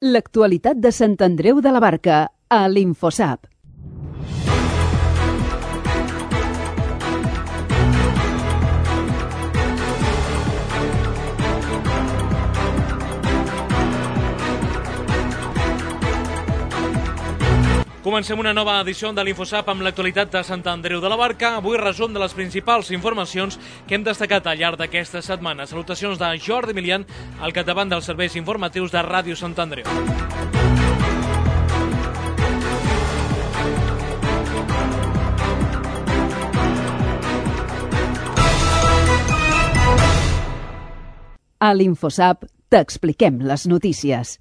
L'actualitat de Sant Andreu de la Barca, a l'Infosap. Comencem una nova edició de l'Infosap amb l'actualitat de Sant Andreu de la Barca. Avui resum de les principals informacions que hem destacat al llarg d'aquesta setmana. Salutacions de Jordi Milian, al capdavant dels serveis informatius de Ràdio Sant Andreu. A l'Infosap t'expliquem les notícies.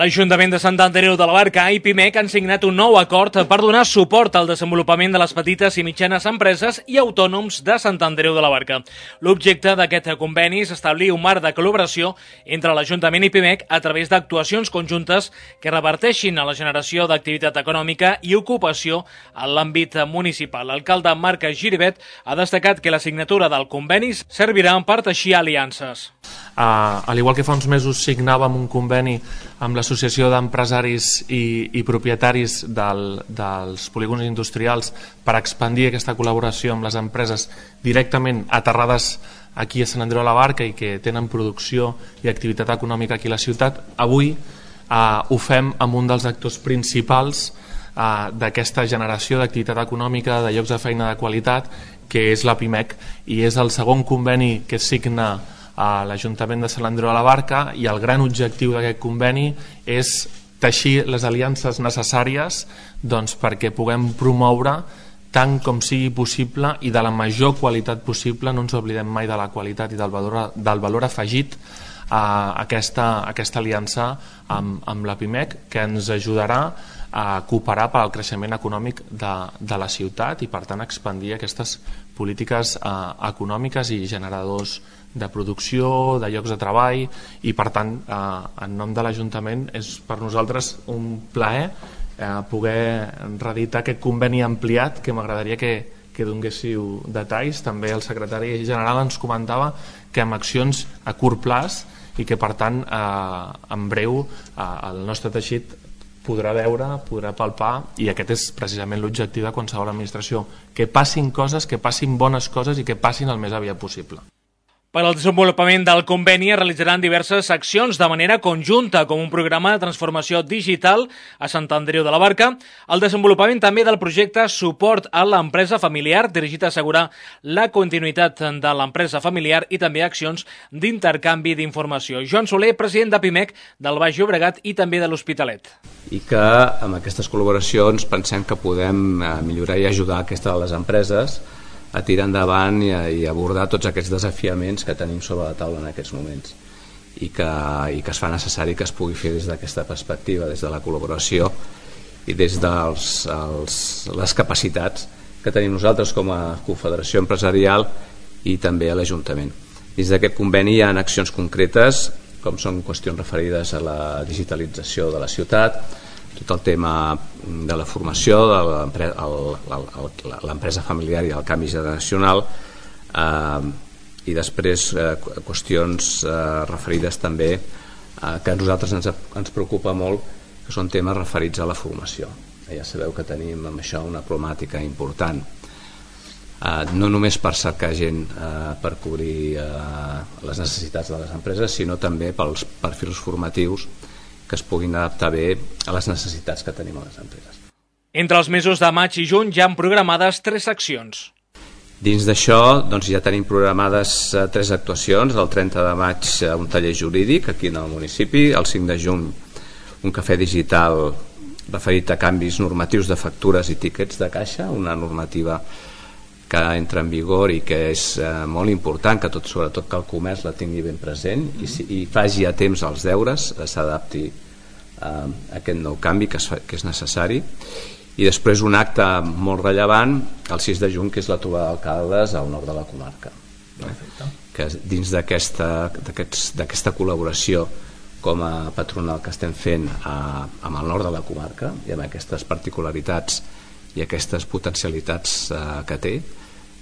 L'Ajuntament de Sant Andreu de la Barca i Pimec han signat un nou acord per donar suport al desenvolupament de les petites i mitjanes empreses i autònoms de Sant Andreu de la Barca. L'objecte d'aquest conveni és establir un marc de col·laboració entre l'Ajuntament i Pimec a través d'actuacions conjuntes que reverteixin a la generació d'activitat econòmica i ocupació en l'àmbit municipal. L'alcalde Marc Giribet ha destacat que la signatura del conveni servirà per teixir aliances. Al igual que fa uns mesos signàvem un conveni amb l'Associació d'Empresaris i Propietaris dels Polígons Industrials per expandir aquesta col·laboració amb les empreses directament aterrades aquí a Sant Andreu de la Barca i que tenen producció i activitat econòmica aquí a la ciutat, avui ho fem amb un dels actors principals d'aquesta generació d'activitat econòmica, de llocs de feina de qualitat, que és la Pimec, i és el segon conveni que signa a l'Ajuntament de Sant Andreu de la Barca, i el gran objectiu d'aquest conveni és teixir les aliances necessàries perquè puguem promoure tant com sigui possible i de la major qualitat possible, no ens oblidem mai de la qualitat i del valor afegit, aquesta aliança amb la Pimec, que ens ajudarà a cooperar per al creixement econòmic de la ciutat i per tant expandir aquestes polítiques econòmiques i generadors de producció, de llocs de treball, i per tant en nom de l'Ajuntament és per nosaltres un plaer poder reeditar aquest conveni ampliat, que m'agradaria que donguéssiu detalls. També el secretari general ens comentava que amb accions a curt plaç i que per tant en breu el nostre teixit podrà veure, podrà palpar, i aquest és precisament l'objectiu de qualsevol administració, que passin coses, que passin bones coses i que passin el més aviat possible. Per al desenvolupament del conveni es realitzaran diverses accions de manera conjunta, com un programa de transformació digital a Sant Andreu de la Barca, el desenvolupament també del projecte Suport a l'empresa familiar, dirigit a assegurar la continuïtat de l'empresa familiar, i també accions d'intercanvi d'informació. Joan Soler, president de Pimec del Baix Llobregat i també de l'Hospitalet. I que amb aquestes col·laboracions pensem que podem millorar i ajudar les empreses a tirar endavant i abordar tots aquests desafiaments que tenim sobre la taula en aquests moments, i que es fa necessari que es pugui fer des d'aquesta perspectiva, des de la col·laboració i des de les capacitats que tenim nosaltres com a Confederació Empresarial i també a l'Ajuntament. Dins d'aquest conveni hi ha accions concretes, com són qüestions referides a la digitalització de la ciutat, tot el tema de la formació de l'empresa familiar i el canvi generacional, i després qüestions referides també que a nosaltres ens preocupa molt, que són temes referits a la formació. Ja sabeu que tenim amb això una problemàtica important, no només per cercar gent per cobrir les necessitats de les empreses, sinó també pels perfils formatius que es puguin adaptar bé a les necessitats que tenim a les empreses. Entre els mesos de maig i juny ja han programades 3 accions. Dins d'això ja tenim programades 3 actuacions. El 30 de maig un taller jurídic aquí en el municipi, el 5 de juny un cafè digital referit a canvis normatius de factures i tíquets de caixa, una normativa que entra en vigor i que és molt important, que sobretot que el comerç la tingui ben present i faci a temps els deures, s'adapti a aquest nou canvi que és necessari. I després un acte molt rellevant el 6 de juny, que és la trobada d'alcaldes al nord de la comarca, que dins d'aquesta col·laboració com a patronal que estem fent amb el nord de la comarca i amb aquestes particularitats i aquestes potencialitats que té,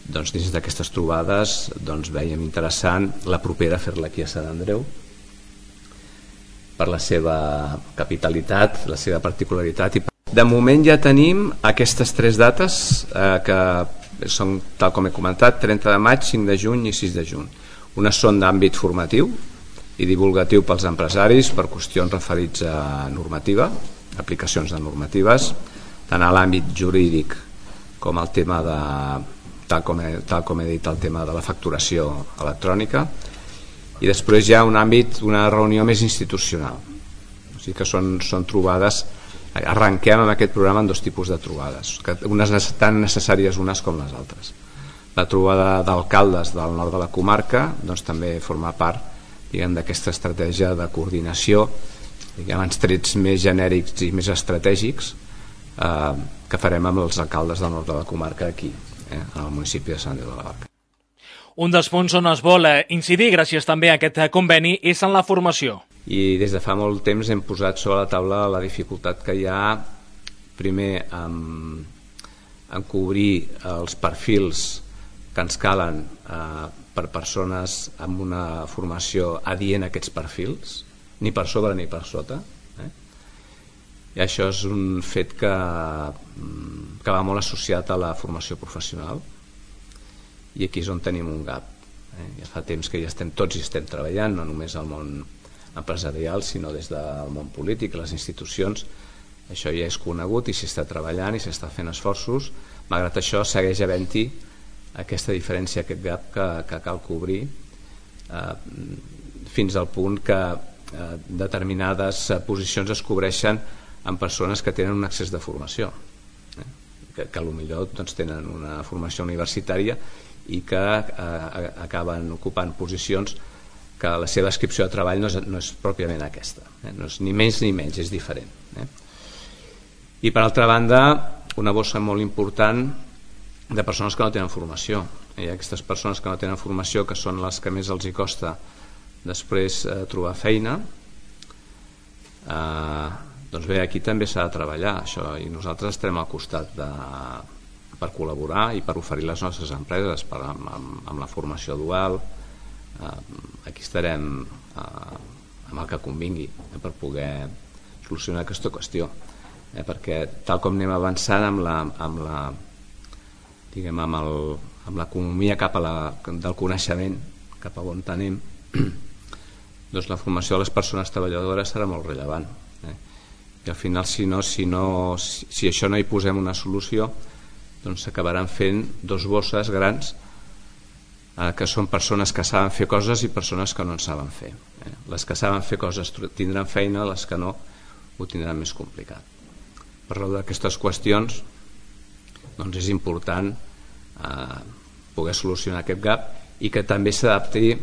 doncs dins d'aquestes trobades veiem interessant la propera fer-la aquí a Sant Andreu per la seva capitalitat, la seva particularitat. De moment ja tenim aquestes 3 dates que són, tal com he comentat, 30 de maig, 5 de juny i 6 de juny. Unes són d'àmbit formatiu i divulgatiu pels empresaris per qüestions referits a normativa, aplicacions de normatives, tant a l'àmbit jurídic com el tema de, tal com he dit, el tema de la facturació electrònica, i després hi ha un àmbit, una reunió més institucional. O sigui que són trobades, arrenquem amb aquest programa en 2 tipus de trobades, unes tan necessàries unes com les altres. La trobada d'alcaldes del nord de la comarca també forma part d'aquesta estratègia de coordinació, amb trets més genèrics i més estratègics que farem amb els alcaldes del nord de la comarca aquí, en el municipi de Sant Andreu de la Barca. Un dels punts on es vol incidir, gràcies també a aquest conveni, és en la formació. I des de fa molt temps hem posat sobre la taula la dificultat que hi ha, primer, en cobrir els perfils que ens calen per persones amb una formació adient a aquests perfils, ni per sobre ni per sota. I això és un fet que va molt associat a la formació professional, i aquí és on tenim un gap. Ja fa temps que tots hi estem treballant, no només al món empresarial, sinó des del món polític, les institucions. Això ja és conegut i s'hi està treballant i s'està fent esforços. Malgrat això, segueix havent-hi aquesta diferència, aquest gap que cal cobrir, fins al punt que determinades posicions es cobreixen amb persones que tenen un excés de formació, que potser tenen una formació universitària i que acaben ocupant posicions que la seva descripció de treball no és pròpiament aquesta, no és ni més ni menys, és diferent. I per altra banda, una bossa molt important de persones que no tenen formació. Hi ha aquestes persones que no tenen formació, que són les que més els hi costa després trobar feina. Doncs bé, aquí també s'ha de treballar això, i nosaltres estarem al costat per col·laborar i per oferir les nostres empreses amb la formació dual. Aquí estarem amb el que convingui per poder solucionar aquesta qüestió, perquè tal com anem avançant amb l'economia del coneixement, cap a on anem, doncs la formació de les persones treballadores serà molt rellevant, i al final si això no hi posem una solució, doncs s'acabaran fent 2 bosses grans, que són persones que saben fer coses i persones que no en saben fer. Les que saben fer coses tindran feina, les que no ho tindran més complicat. Per raó d'aquestes qüestions doncs és important poder solucionar aquest gap i que també s'adapti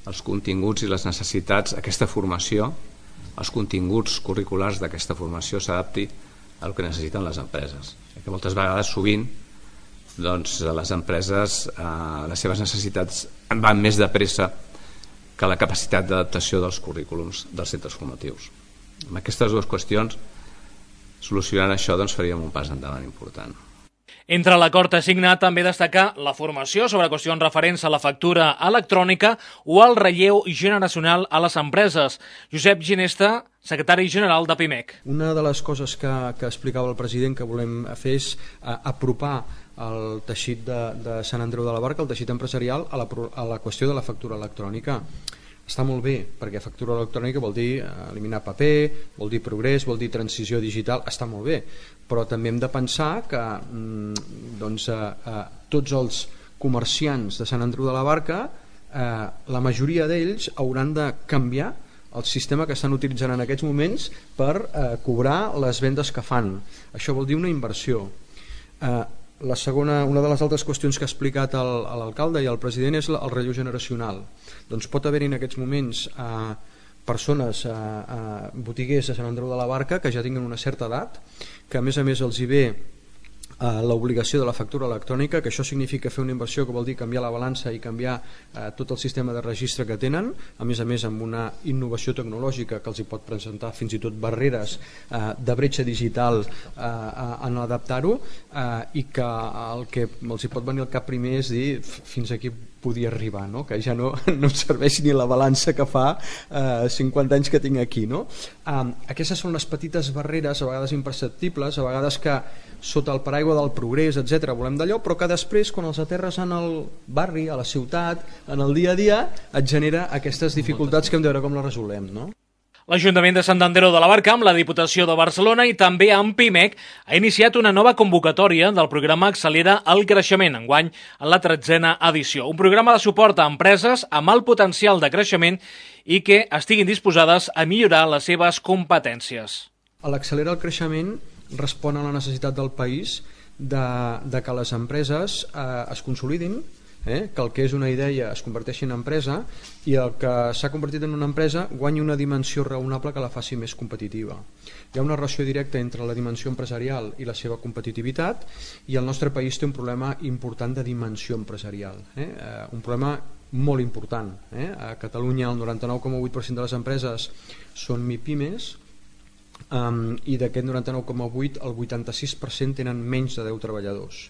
als continguts i les necessitats, aquesta formació, els continguts curriculars d'aquesta formació s'adapti al que necessiten les empreses. Que moltes vegades, sovint, doncs les empreses, les seves necessitats van més de pressa que la capacitat d'adaptació dels currículums dels centres formatius. Amb aquestes 2 qüestions, solucionant això, doncs faríem un pas endavant important. Entre l'acord signat també destacar la formació sobre qüestions referents a la factura electrònica o al relleu generacional a les empreses. Josep Ginesta, secretari general de PIMEC. Una de les coses que explicava el president que volem fer és apropar el teixit de Sant Andreu de la Barca, el teixit empresarial, a la qüestió de la factura electrònica. Està molt bé, perquè factura electrònica vol dir eliminar paper, vol dir progrés, vol dir transició digital, està molt bé, però també hem de pensar que tots els comerciants de Sant Andreu de la Barca, la majoria d'ells hauran de canviar el sistema que estan utilitzant en aquests moments per cobrar les vendes que fan. Això vol dir una inversió. La segona, una de les altres qüestions que ha explicat l'alcalde i el president és el relleu generacional. Doncs pot haver-hi en aquests moments persones, botiguers de Sant Andreu de la Barca que ja tinguen una certa edat, que a més els hi ve l'obligació de la factura electrònica, que això significa fer una inversió que vol dir canviar la balança i canviar tot el sistema de registre que tenen, a més amb una innovació tecnològica que els hi pot presentar fins i tot barreres de bretxa digital en adaptar-ho, i que el que els hi pot venir al cap primer és dir fins aquí podia arribar, no? Que ja no em serveix ni la balança que fa 50 anys que tinc aquí, no? Aquestes són les petites barreres, a vegades imperceptibles, a vegades que sota el paraigua del progrés, etc. volem d'allò, però que després, quan els aterres en el barri, a la ciutat, en el dia a dia, et genera aquestes dificultats que hem de veure com les resolem, no? L'Ajuntament de Sant Andreu de la Barca, amb la Diputació de Barcelona i també amb PIMEC, ha iniciat una nova convocatòria del programa Accelera el Creixement, enguany en la 13a edició. Un programa de suport a empreses amb alt potencial de creixement i que estiguin disposades a millorar les seves competències. L'Accelera el Creixement respon a la necessitat del país de que les empreses es consolidin, que el que és una idea es converteixi en empresa i el que s'ha convertit en una empresa guanyi una dimensió raonable que la faci més competitiva. Hi ha una relació directa entre la dimensió empresarial i la seva competitivitat, i el nostre país té un problema important de dimensió empresarial, un problema molt important. A Catalunya el 99,8% de les empreses són MIPIMES, i d'aquest 99,8 el 86% tenen menys de 10 treballadors.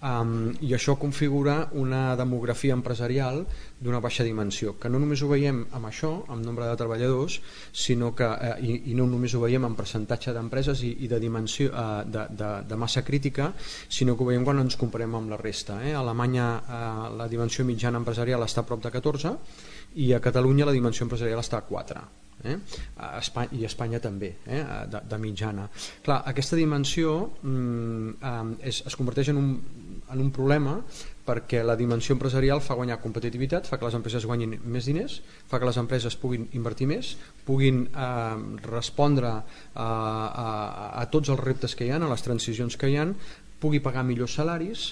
I això configura una demografia empresarial d'una baixa dimensió, que no només ho veiem amb això, amb nombre de treballadors, sinó que, i no només ho veiem en percentatge d'empreses i de dimensió de massa crítica, sinó que ho veiem quan ens comparem amb la resta. A Alemanya la dimensió mitjana empresarial està a prop de 14 i a Catalunya la dimensió empresarial està a 4. I Espanya també, de mitjana. Clar, aquesta dimensió es converteix en un problema, perquè la dimensió empresarial fa guanyar competitivitat, fa que les empreses guanyin més diners, fa que les empreses puguin invertir més, puguin respondre a tots els reptes que hi ha, a les transicions que hi ha, pugui pagar millors salaris,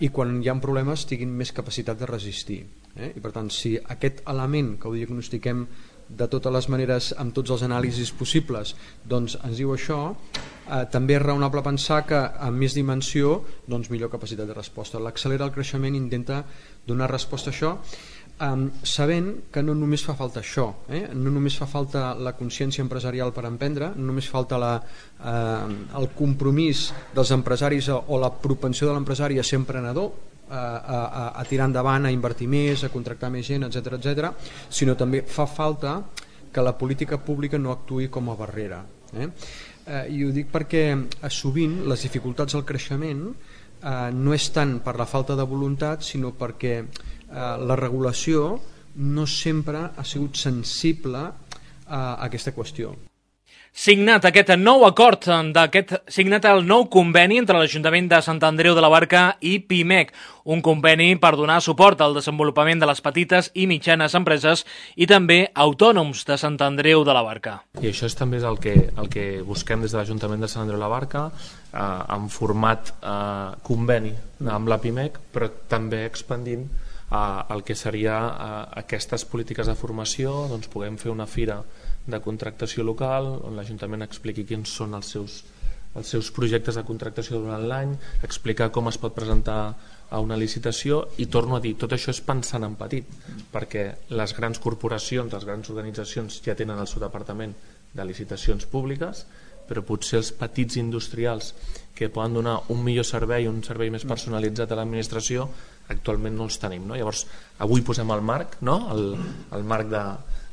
i quan hi ha problemes tinguin més capacitat de resistir. I per tant, si aquest element que ho diagnostiquem de totes les maneres, amb tots els anàlisis possibles, doncs ens diu això, també és raonable pensar que amb més dimensió, doncs millor capacitat de resposta. L'Accelera el Creixement intenta donar resposta a això, sabent que no només fa falta això, no només fa falta la consciència empresarial per emprendre, no només falta el compromís dels empresaris o la propensió de l'empresari a ser emprenedor, a tirar endavant, a invertir més, a contractar més gent, etc., sinó també fa falta que la política pública no actuï com a barrera. I ho dic perquè sovint les dificultats al creixement no és tant per la falta de voluntat, sinó perquè la regulació no sempre ha sigut sensible a aquesta qüestió. Signat aquest nou acord, signat el nou conveni entre l'Ajuntament de Sant Andreu de la Barca i PIMEC, un conveni per donar suport al desenvolupament de les petites i mitjanes empreses i també autònoms de Sant Andreu de la Barca. I això també és el que busquem des de l'Ajuntament de Sant Andreu de la Barca, en format conveni amb la PIMEC, però també expandint el que seria aquestes polítiques de formació, doncs puguem fer una fira de contractació local on l'Ajuntament expliqui quins són els seus projectes de contractació durant l'any, explicar com es pot presentar a una licitació, i torno a dir, tot això és pensant en petit, perquè les grans corporacions, les grans organitzacions ja tenen el seu departament de licitacions públiques, però potser els petits industrials que poden donar un millor servei, un servei més personalitzat a l'administració, actualment no els tenim, no? Llavors avui posem el marc, no? el marc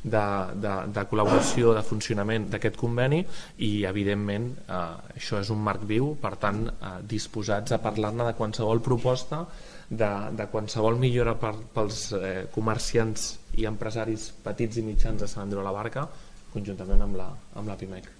de col·laboració, de funcionament d'aquest conveni, i evidentment això és un marc viu, per tant disposats a parlar-ne de qualsevol proposta, de qualsevol millora pels comerciants i empresaris petits i mitjans de Sant Andreu de la Barca, conjuntament amb la PIMEC.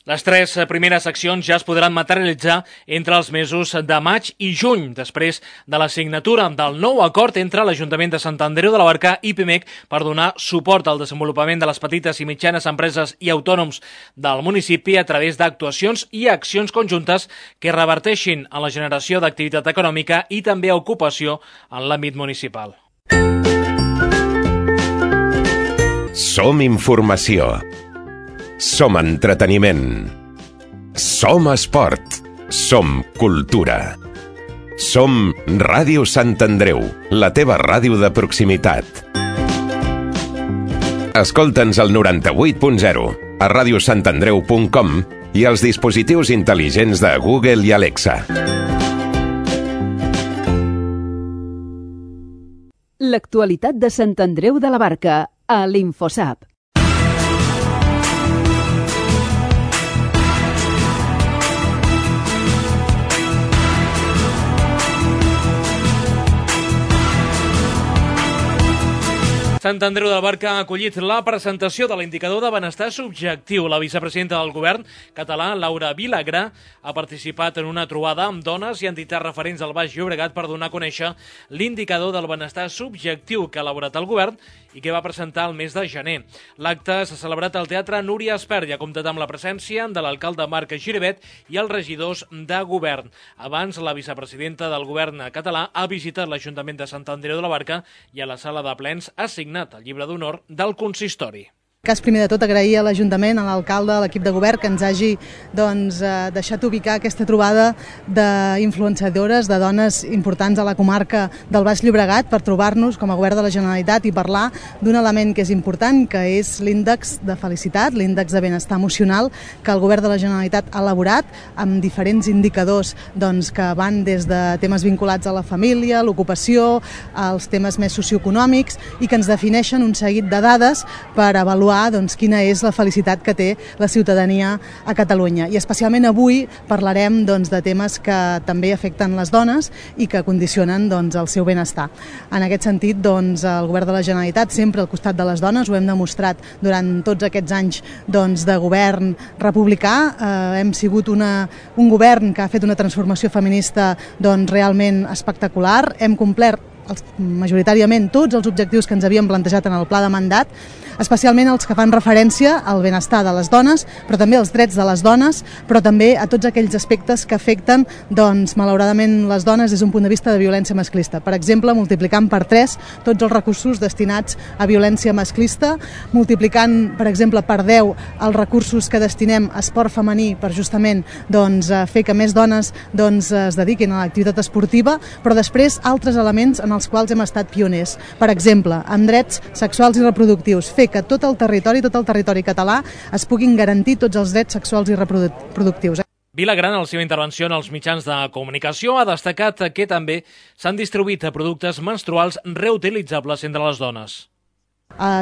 Les 3 primeres accions ja es podran materialitzar entre els mesos de maig i juny, després de la signatura del nou acord entre l'Ajuntament de Sant Andreu de la Barca i PIMEC per donar suport al desenvolupament de les petites i mitjanes empreses i autònoms del municipi a través d'actuacions i accions conjuntes que reverteixin en la generació d'activitat econòmica i també ocupació en l'àmbit municipal. Som informació. Som entreteniment. Som esport. Som cultura. Som Ràdio Sant Andreu, la teva ràdio de proximitat. Escolta'ns al 98.0, a radiosantandreu.com i als dispositius intel·ligents de Google i Alexa. L'actualitat de Sant Andreu de la Barca, a l'Infosap. Sant Andreu de la Barca ha acollit la presentació de l'indicador de benestar subjectiu. La vicepresidenta del govern català, Laura Vilagrà, ha participat en una trobada amb dones i entitats referents al Baix Llobregat per donar a conèixer l'indicador del benestar subjectiu que ha elaborat el govern i que va presentar el mes de gener. L'acte s'ha celebrat al Teatre Núria Espert i ha comptat amb la presència de l'alcalde Marc Giribet i els regidors de govern. Abans, la vicepresidenta del govern català ha visitat l'Ajuntament de Sant Andreu de la Barca i a la sala de plens ha signat el llibre d'honor del consistori. Primer de tot, agrair a l'Ajuntament, a l'alcalde, a l'equip de govern que ens hagi deixat ubicar aquesta trobada d'influenciadores, de dones importants a la comarca del Baix Llobregat per trobar-nos com a govern de la Generalitat i parlar d'un element que és important, que és l'índex de felicitat, l'índex de benestar emocional que el govern de la Generalitat ha elaborat amb diferents indicadors que van des de temes vinculats a la família, l'ocupació, als temes més socioeconòmics i que ens defineixen un seguit de dades per avaluar quina és la felicitat que té la ciutadania a Catalunya. I especialment avui parlarem de temes que també afecten les dones i que condicionen el seu benestar. En aquest sentit, el govern de la Generalitat sempre al costat de les dones, ho hem demostrat durant tots aquests anys de govern republicà. Hem sigut un govern que ha fet una transformació feminista realment espectacular. Hem complert majoritàriament tots els objectius que ens havíem plantejat en el pla de mandat, especialment els que fan referència al benestar de les dones, però també als drets de les dones, però també a tots aquells aspectes que afecten, malauradament, les dones des d'un punt de vista de violència masclista. Per exemple, multiplicant per 3 tots els recursos destinats a violència masclista, multiplicant, per exemple, per 10 els recursos que destinem a esport femení per justament fer que més dones es dediquin a l'activitat esportiva, però després altres elements en els quals hem estat pioners. Per exemple, en drets sexuals i reproductius, fer que tot el territori català es puguin garantir tots els drets sexuals i reproductius. Vilagrà, en la seva intervenció en els mitjans de comunicació, ha destacat que també s'han distribuït productes menstruals reutilitzables entre les dones.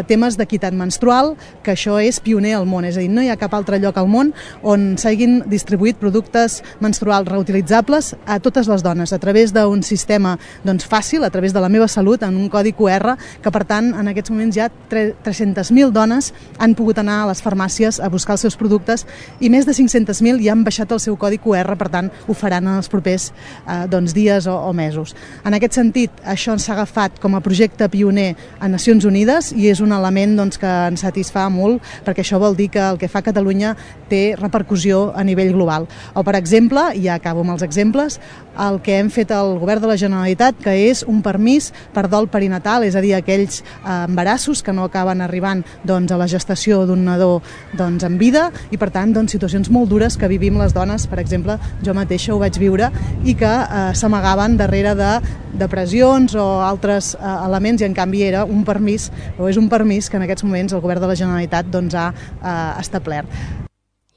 Temes d'equitat menstrual, que això és pioner al món, és a dir, no hi ha cap altre lloc al món on s'hagin distribuït productes menstruals reutilitzables a totes les dones, a través d'un sistema fàcil, a través de la meva salut, en un codi QR, que per tant en aquests moments ja 300.000 dones han pogut anar a les farmàcies a buscar els seus productes i més de 500.000 ja han baixat el seu codi QR, per tant ho faran en els propers dies o mesos. En aquest sentit, això s'ha agafat com a projecte pioner a Nacions Unides i és un element que ens satisfà molt, perquè això vol dir que el que fa Catalunya té repercussió a nivell global. O, per exemple, i ja acabo amb els exemples, el que hem fet al govern de la Generalitat, que és un permís per dol perinatal, és a dir, aquells embarassos que no acaben arribant a la gestació d'un nadó en vida i, per tant, situacions molt dures que vivim les dones, per exemple, jo mateixa ho vaig viure i que s'amagaven darrere de depressions o altres elements i, en canvi, era un permís, o és un permís que en aquests moments el govern de la Generalitat ha establert.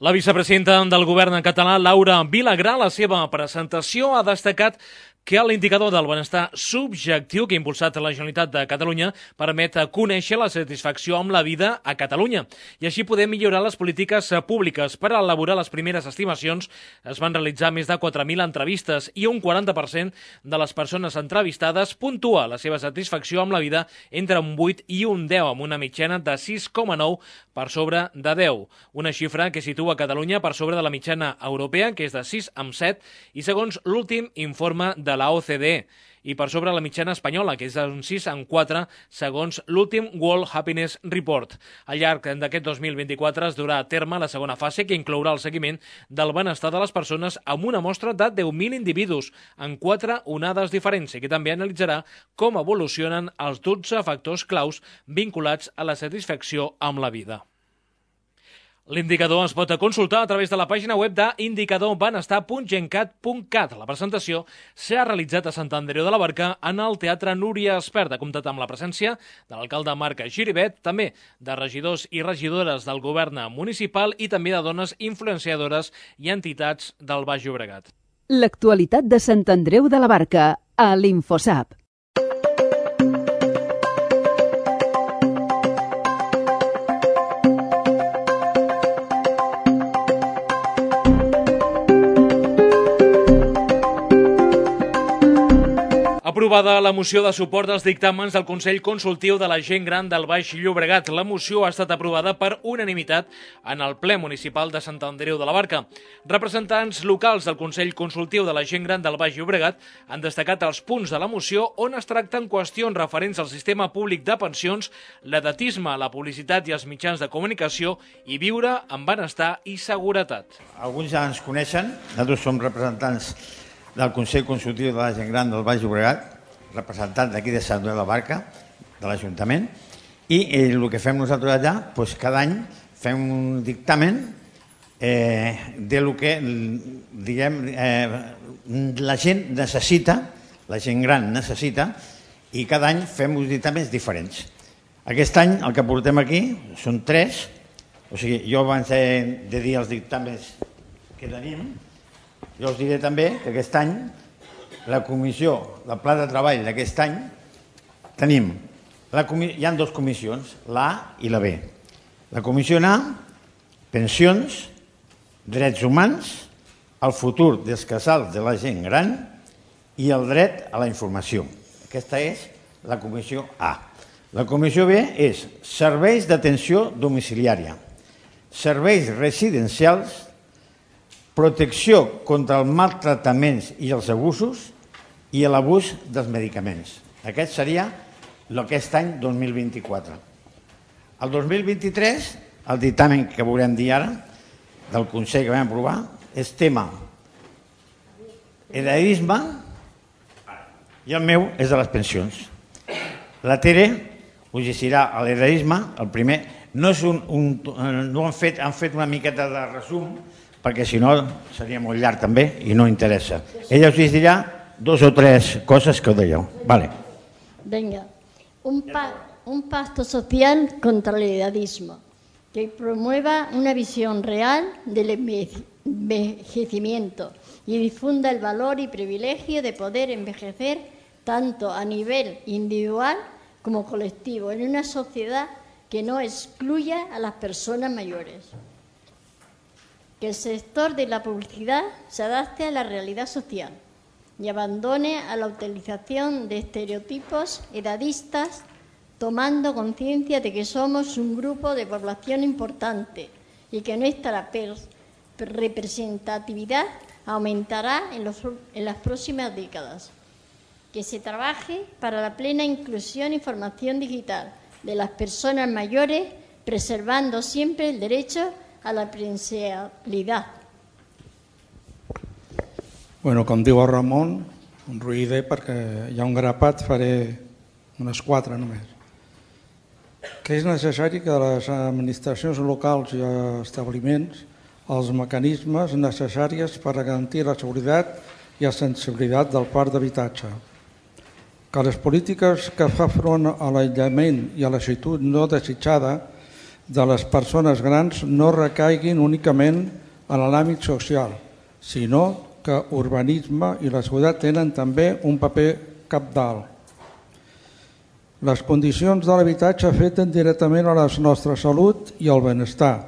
La vicepresidenta del govern català, Laura Vilagrà, a la seva presentació ha destacat que l'indicador del benestar subjectiu que ha impulsat la Generalitat de Catalunya permet conèixer la satisfacció amb la vida a Catalunya i així poder millorar les polítiques públiques. Per elaborar les primeres estimacions es van realitzar més de 4.000 entrevistes i un 40% de les persones entrevistades puntua la seva satisfacció amb la vida entre un 8 i un 10, amb una mitjana de 6,9 per sobre de 10. Una xifra que situa Catalunya per sobre de la mitjana europea, que és de 6,7, i segons l'últim informe de la OCDE, i per sobre la mitjana espanyola, que és d'un 6,4, segons l'últim World Happiness Report. Al llarg d'aquest 2024 es durà a terme la segona fase, que inclourà el seguiment del benestar de les persones amb una mostra de 10.000 individus en 4 onades diferents i que també analitzarà com evolucionen els 12 factors claus vinculats a la satisfacció amb la vida. L'indicador es pot consultar a través de la pàgina web d'indicadorbenestar.gencat.cat. La presentació s'ha realitzat a Sant Andreu de la Barca en el Teatre Núria Espert. Ha comptat amb la presència de l'alcalde Marc Giribet, també de regidors i regidores del govern municipal i també de dones influenciadores i entitats del Baix Llobregat. L'actualitat de Sant Andreu de la Barca a l'Infosap. Aprovada la moció de suport als dictàmens del Consell Consultiu de la Gent Gran del Baix Llobregat. La moció ha estat aprovada per unanimitat en el ple municipal de Sant Andreu de la Barca. Representants locals del Consell Consultiu de la Gent Gran del Baix Llobregat han destacat els punts de la moció on es tracten qüestions referents al sistema públic de pensions, l'edatisme, la publicitat i els mitjans de comunicació i viure amb benestar i seguretat. Alguns ja ens coneixen, nosaltres som representants del Consell Consultiu de la Gent Gran del Baix Llobregat, representant d'aquí de Sant Andreu de la Barca, de l'Ajuntament, i el que fem nosaltres allà, doncs cada any fem un dictamen de lo que la gent necessita, la gent gran necessita, i cada any fem uns dictàmens diferents. Aquest any el que portem aquí són 3, o sigui, jo abans de dir els dictàmens que tenim, jo us diré també que aquest any la comissió, el pla de treball d'aquest any, hi ha 2 comissions, la A i la B. La comissió A, pensions, drets humans, el futur dels casals de la gent gran i el dret a la informació. Aquesta és la comissió A. La comissió B és serveis d'atenció domiciliària, serveis residencials, protecció contra els maltractaments i els abusos i l'abús dels medicaments. Aquest seria aquest any 2024. El 2023, el dictamen que veurem dir ara, del Consell que vam aprovar, és tema heredisme i el meu és de les pensions. La Tere us llegirà l'heredisme, el primer. No han fet una miqueta de resum, perquè si no seria molt llarg també i no interessa. Ella us dirà 2 o 3 cosas que os doy yo. Vale. Venga, un pacto social contra el edadismo que promueva una visión real del envejecimiento y difunda el valor y privilegio de poder envejecer tanto a nivel individual como colectivo en una sociedad que no excluya a las personas mayores. Que el sector de la publicidad se adapte a la realidad social y abandone a la utilización de estereotipos edadistas, tomando conciencia de que somos un grupo de población importante y que nuestra representatividad aumentará en las próximas décadas. Que se trabaje para la plena inclusión y formación digital de las personas mayores, preservando siempre el derecho a la presencialidad. Bueno, com diu el Ramon, un ruïder perquè hi ha un grapat, faré unes 4 només. Que és necessari que les administracions locals i establiments els mecanismes necessaris per garantir la seguretat i la sensibilitat del parc d'habitatge. Que les polítiques que fa front a l'aïllament i a la solitud no desitjada de les persones grans no recaiguin únicament en l'àmbit social, sinó que urbanisme i la seguretat tenen també un paper cabdal. Les condicions de l'habitatge afecten directament a la nostra salut i al benestar.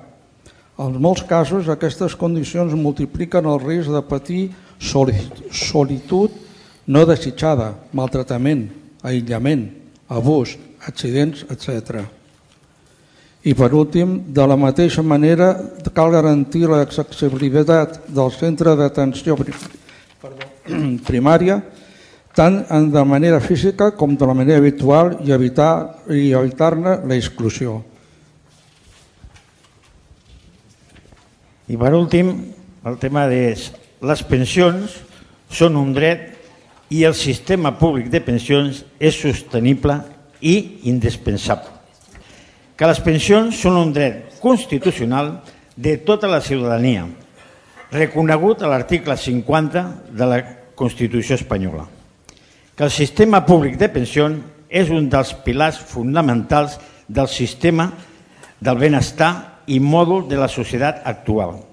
En molts casos, aquestes condicions multipliquen el risc de patir solitud no desitjada, maltractament, aïllament, abús, accidents, etc. I per últim, de la mateixa manera, cal garantir l'accessibilitat del centre d'atenció primària tant de manera física com de la manera virtual i evitar-ne l'exclusió. I per últim, el tema és les pensions són un dret i el sistema públic de pensions és sostenible i indispensable. Que les pensions són un dret constitucional de tota la ciutadania, reconegut a l'article 50 de la Constitució espanyola. Que el sistema públic de pensions és un dels pilars fonamentals del sistema del benestar i mòdul de la societat actual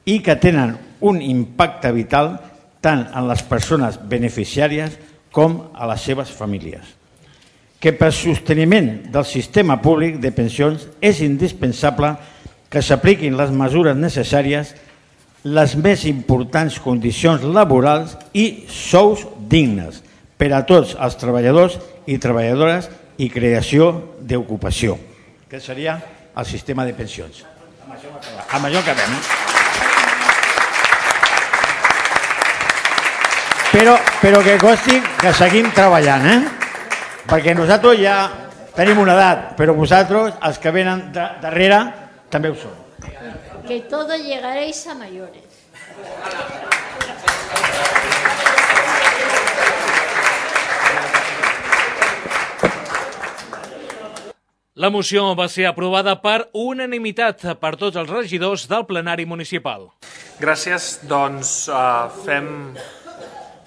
i que tenen un impacte vital tant en les persones beneficiàries com a les seves famílies. Que per sosteniment del sistema públic de pensions és indispensable que s'apliquin les mesures necessàries, les més importants condicions laborals i sous dignes per a tots els treballadors i treballadores i creació d'ocupació, que seria el sistema de pensions. Amb això acabem. Però que consti que seguim treballant, perquè nosaltres ja tenim una edat, però vosaltres, els que venen darrere, també ho són. Que todos llegaréis a mayores. La moció va ser aprovada per unanimitat per tots els regidors del plenari municipal. Gràcies. Doncs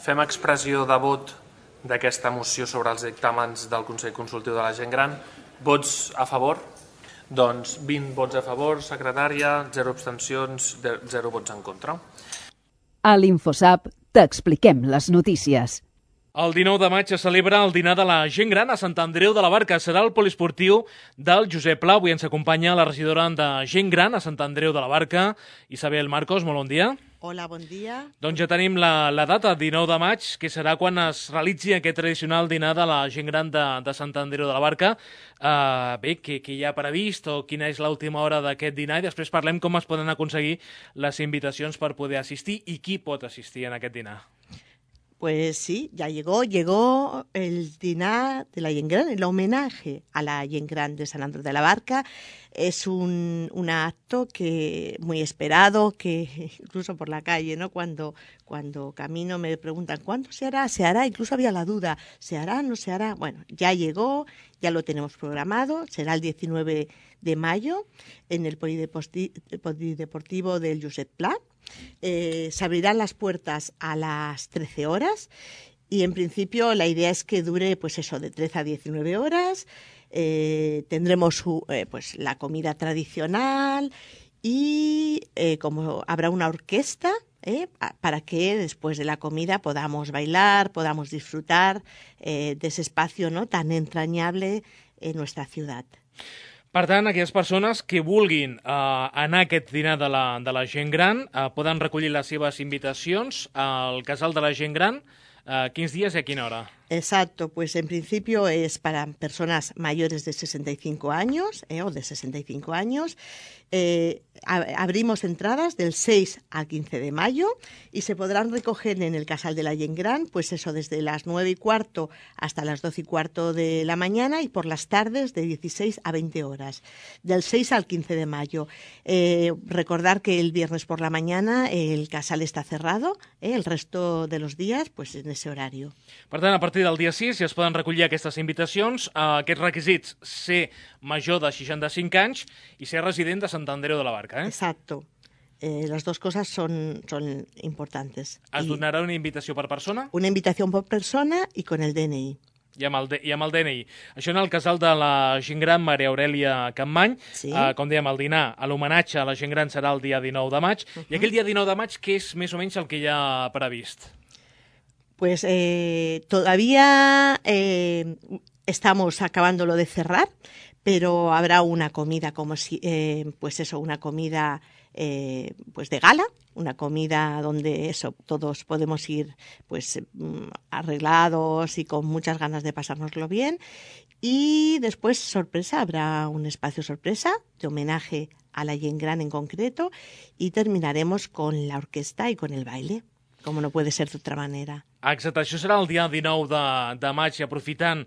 fem expressió de vot d'aquesta moció sobre els dictàmens del Consell Consultiu de la Gent Gran. Vots a favor? Doncs 20 vots a favor, secretària, 0 abstencions, 0 vots en contra. A l'InfoSap t'expliquem les notícies. El 19 de maig es celebra el dinar de la gent gran a Sant Andreu de la Barca. Serà el poliesportiu del Josep Pla. Avui ens acompanya la regidora de gent gran a Sant Andreu de la Barca, Isabel Marcos. Molt bon dia. Hola, bon dia. Doncs ja tenim la data, 19 de maig, que serà quan es realitzi aquest tradicional dinar de la gent gran de Sant Andreu de la Barca. Bé, què hi ha previst o quina és l'última hora d'aquest dinar i després parlem com es poden aconseguir les invitacions per poder assistir i qui pot assistir en aquest dinar. Pues sí, ya llegó el dinar de la Gent Gran, el homenaje a la Gent Gran de Sant Andreu de la Barca. Es un acto que muy esperado, que incluso por la calle, ¿no? Cuando camino me preguntan ¿cuándo se hará? ¿Se hará? Incluso había la duda, ¿se hará? ¿No se hará? Bueno, ya llegó, ya lo tenemos programado, será el 19 de mayo en el Polideportivo del Josep Pla. Se abrirán las puertas a las 13 horas y en principio la idea es que dure pues eso, de 13 a 19 horas. Tendremos pues la comida tradicional y como habrá una orquesta para que después de la comida podamos bailar, podamos disfrutar de ese espacio, ¿no?, tan entrañable en nuestra ciudad. Per tant, aquelles persones que vulguin anar a aquest dinar de la gent gran poden recollir les seves invitacions al Casal de la Gent Gran. ¿Quins días y a qué hora? Exacto, pues en principio es para personas mayores de 65 años o de 65 años. Abrimos entradas del 6 al 15 de mayo y se podrán recoger en el Casal de la Gent Gran, pues eso, desde las 9:15 hasta las 12:15 de la mañana y por las tardes de 16 a 20 horas, del 6 al 15 de mayo. Recordar que el viernes por la mañana el Casal está cerrado, el resto de los días pues en ese horario. Per tant, a partir del dia 6 ja es poden recollir aquestes invitacions. Aquests requisits: ser major de 65 anys i ser resident de Sant Andreu de la Barca. Exacto. Las dos cosas son importantes. Es donarà una invitació per persona? Una invitación por persona y con el DNI. I amb el DNI. Això en el Casal de la Gent Gran Maria Aurèlia Campmany. Sí. Com dèiem, el dinar, l'homenatge a la gent gran serà el dia 19 de maig. I aquell dia 19 de maig, què és més o menys el que hi ha previst? Pues todavía estamos acabándolo de cerrar, pero habrá una comida como si, pues eso, una comida pues de gala, una comida donde eso todos podemos ir pues arreglados y con muchas ganas de pasárnoslo bien. Y después, sorpresa, habrá un espacio sorpresa de homenaje a la Gent Gran en concreto y terminaremos con la orquesta y con el baile, como no puede ser de otra manera. Exacte, això serà el dia 19 de maig i aprofitant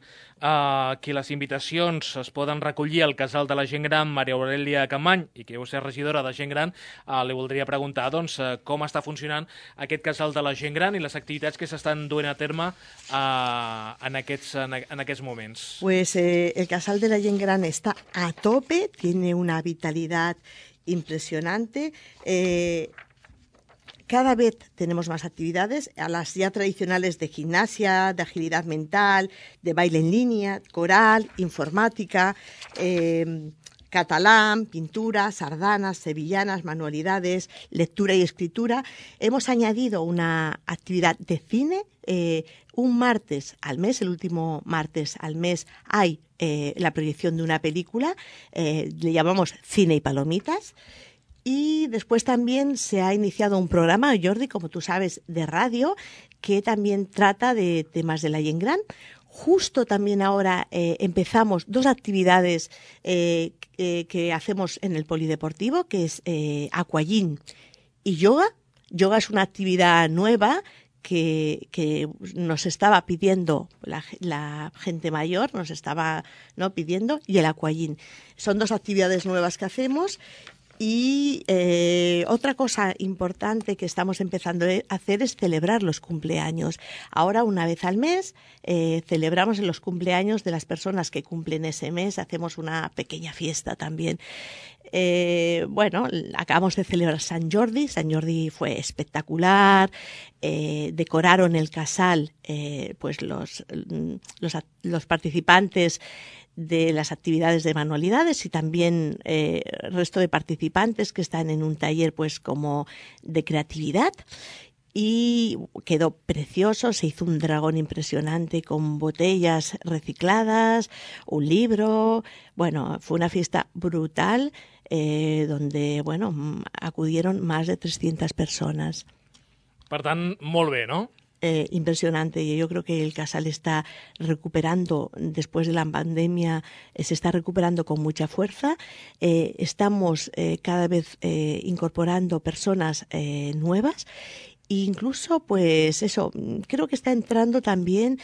que les invitacions es poden recollir al Casal de la Gent Gran Maria Aurèlia Campmany i que deu ser regidora de Gent Gran, li voldria preguntar doncs, com està funcionant aquest Casal de la Gent Gran i les activitats que s'estan duent a terme en aquests moments. Pues el Casal de la Gent Gran está a tope, tiene una vitalidad impresionante. Cada vez tenemos más actividades, a las ya tradicionales de gimnasia, de agilidad mental, de baile en línea, coral, informática, catalán, pintura, sardanas, sevillanas, manualidades, lectura y escritura. Hemos añadido una actividad de cine. Un martes al mes, el último martes al mes, hay la proyección de una película, le llamamos Cine y Palomitas. Y después también se ha iniciado un programa, Jordi, como tú sabes, de radio, que también trata de temas de la gent gran. Justo también ahora empezamos 2 actividades que hacemos en el polideportivo, que es aquagym y yoga. Yoga es una actividad nueva que nos estaba pidiendo la gente mayor, nos estaba pidiendo, y el aquagym. Son 2 actividades nuevas que hacemos. Y otra cosa importante que estamos empezando a hacer es celebrar los cumpleaños. Ahora, una vez al mes, celebramos los cumpleaños de las personas que cumplen ese mes. Hacemos una pequeña fiesta también. Acabamos de celebrar Sant Jordi. Sant Jordi fue espectacular. Decoraron el casal pues los participantes de las actividades de manualidades y también el resto de participantes que están en un taller pues como de creatividad, y quedó precioso. Se hizo un dragón impresionante con botellas recicladas, un libro. Bueno, fue una fiesta brutal donde acudieron más de 300 personas. Per tant, molt bé, no? Impresionante. Yo creo que el casal está recuperando, después de la pandemia, se está recuperando con mucha fuerza. Estamos cada vez incorporando personas nuevas. Incluso, pues eso, creo que está entrando también,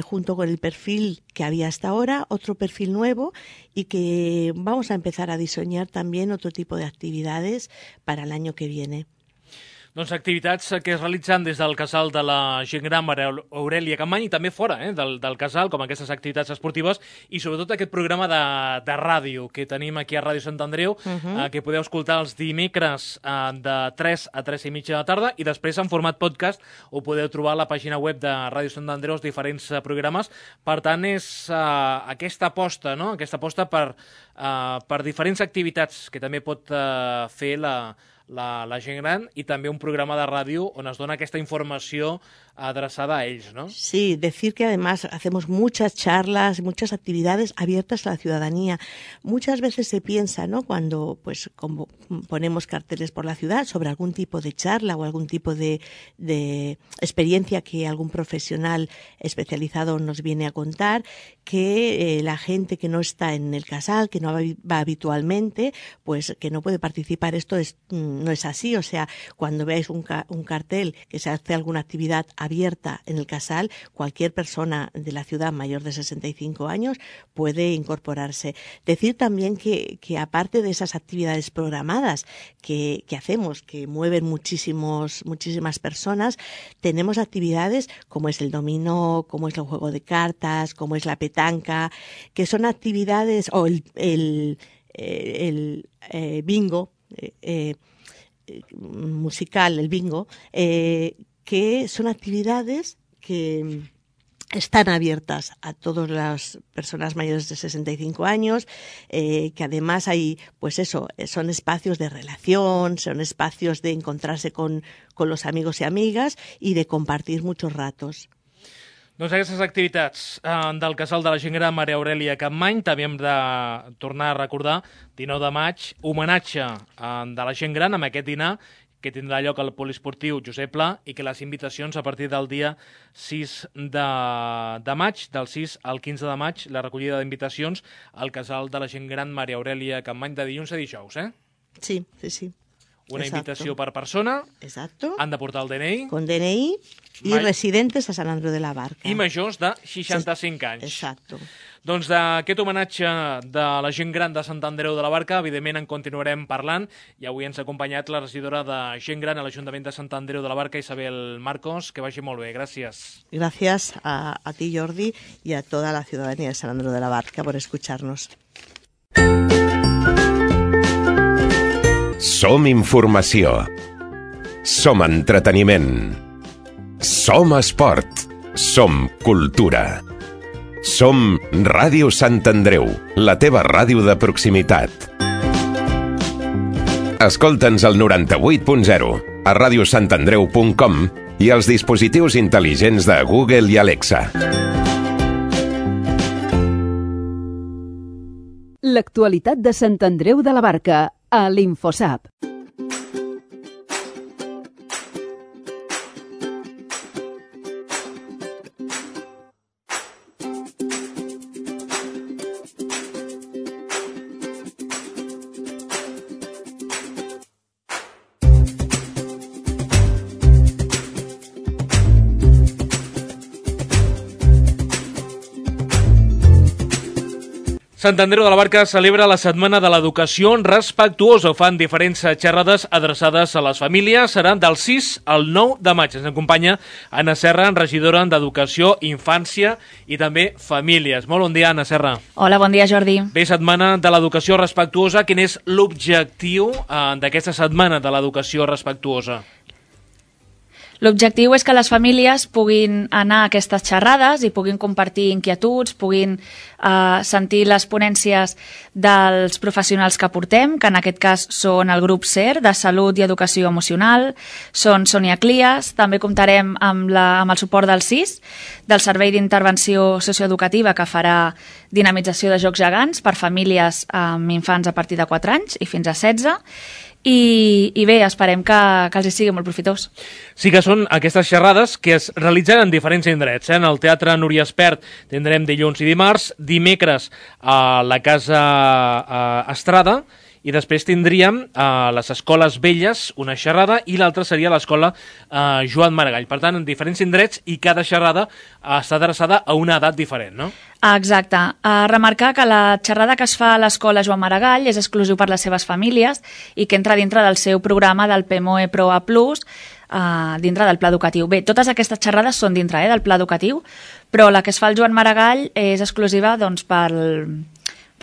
junto con el perfil que había hasta ahora, otro perfil nuevo, y que vamos a empezar a diseñar también otro tipo de actividades para el año que viene. Doncs activitats que es realitzen des del casal de la gent gran Maria Aurèlia Capmany i també fora del casal, com aquestes activitats esportives, i sobretot aquest programa de ràdio que tenim aquí a Ràdio Sant Andreu, que podeu escoltar els dimecres de 3 a 3 i mitja de la tarda, i després en format podcast ho podeu trobar a la pàgina web de Ràdio Sant Andreu, els diferents programes. Per tant, és aquesta aposta, no? Aquesta aposta per diferents activitats que també pot fer la gent gran, i també un programa de ràdio on es dona aquesta informació adreçada a ells, ¿no? Sí, decir que además hacemos muchas charlas, muchas actividades abiertas a la ciudadanía. Muchas veces se piensa, ¿no?, cuando pues como ponemos carteles por la ciudad sobre algún tipo de charla o algún tipo de experiencia que algún profesional especializado nos viene a contar, que la gente que no está en el casal, que no va habitualmente, pues que no puede participar. Esto no es así. O sea, cuando veáis un cartel que se hace alguna actividad abierta en el casal, cualquier persona de la ciudad mayor de 65 años puede incorporarse. Decir también que aparte de esas actividades programadas que hacemos, que mueven muchísimas personas, tenemos actividades como es el dominó, como es el juego de cartas, como es la petanca, que son actividades, o el bingo musical, el bingo, que son actividades que están abiertas a todas las personas mayores de 65 años, que además hay, pues eso, son espacios de relación, son espacios de encontrarse con los amigos y amigas y de compartir muchos ratos. Doncs aquestes activitats del casal de la gent gran Maria Aurèlia Capmany. També hem de tornar a recordar, 19 de maig, homenatge de la gent gran amb aquest dinar que tindrà lloc al poliesportiu Josep Pla, i que les invitacions a partir del dia 6 de maig, del 6 al 15 de maig, la recollida d'invitacions al casal de la gent gran Maria Aurèlia Capmany de dilluns a dijous, eh? Sí, sí, sí. Una invitació per persona. Exacto. Han de portar el DNI. Con DNI i residentes a Sant Andreu de la Barca. I majors de 65 anys. Exacto. Doncs d'aquest homenatge de la gent gran de Sant Andreu de la Barca, evidentment en continuarem parlant, i avui ens ha acompanyat la regidora de gent gran a l'Ajuntament de Sant Andreu de la Barca, Isabel Marcos. Que vagi molt bé, gràcies. Gracias a ti, Jordi, y a toda la ciudadanía de Sant Andreu de la Barca por escucharnos. Som informació. Som entreteniment. Som esport. Som cultura. Som Ràdio Sant Andreu, la teva ràdio de proximitat. Escolta'ns al 98.0, a radiosantandreu.com i als dispositius intel·ligents de Google i Alexa. L'actualitat de Sant Andreu de la Barca, a l'Infosap. Sant Andreu de la Barca celebra la Setmana de l'Educació Respectuosa. Fan diferents xerrades adreçades a les famílies. Seran del 6 al 9 de maig. Ens acompanya Anna Serra, regidora d'Educació, Infància i també Famílies. Molt bon dia, Anna Serra. Hola, bon dia, Jordi. Bé, Setmana de l'Educació Respectuosa. Quin és l'objectiu d'aquesta Setmana de l'Educació Respectuosa? L'objectiu és que les famílies puguin anar a aquestes xerrades i puguin compartir inquietuds, puguin sentir les ponències dels professionals que portem, que en aquest cas són el grup SER, de Salut i Educació Emocional, són Sònia Clias, també comptarem amb el suport del SIS, del Servei d'Intervenció Socioeducativa, que farà dinamització de jocs gegants per famílies amb infants a partir de 4 anys i fins a 16, i bé, esperem que els hi sigui molt profitós. Sí que són aquestes xerrades que es realitzen en diferents indrets. En el Teatre Núria Espert tindrem dilluns i dimarts, dimecres a la Casa Estrada, i després tindríem a les Escoles Velles una xerrada i l'altra seria l'Escola Joan Maragall. Per tant, en diferents indrets i cada xerrada està adreçada a una edat diferent, no? Exacte. Remarcar que la xerrada que es fa a l'Escola Joan Maragall és exclusiu per les seves famílies i que entra dintre del seu programa del PMOE Pro A+, dintre del pla educatiu. Bé, totes aquestes xerrades són dintre del pla educatiu, però la que es fa al Joan Maragall és exclusiva doncs, per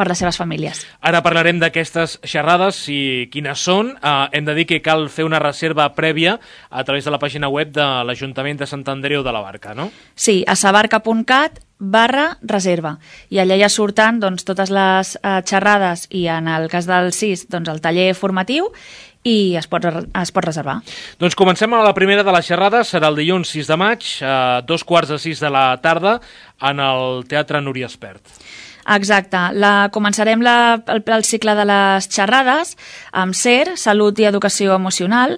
les seves famílies. Ara parlarem d'aquestes xerrades i quines són. Hem de dir que cal fer una reserva prèvia a través de la pàgina web de l'Ajuntament de Sant Andreu de la Barca, no? Sí, a sabarca.cat/reserva. I allà ja surten doncs, totes les xerrades i en el cas del CIS doncs, el taller formatiu i es pot reservar. Doncs comencem amb la primera de les xerrades. Serà el dilluns 6 de maig a 5:45 de la tarda en el Teatre Núria Espert. Exacte. Començarem el cicle de les xerrades amb SER, Salut i Educació Emocional,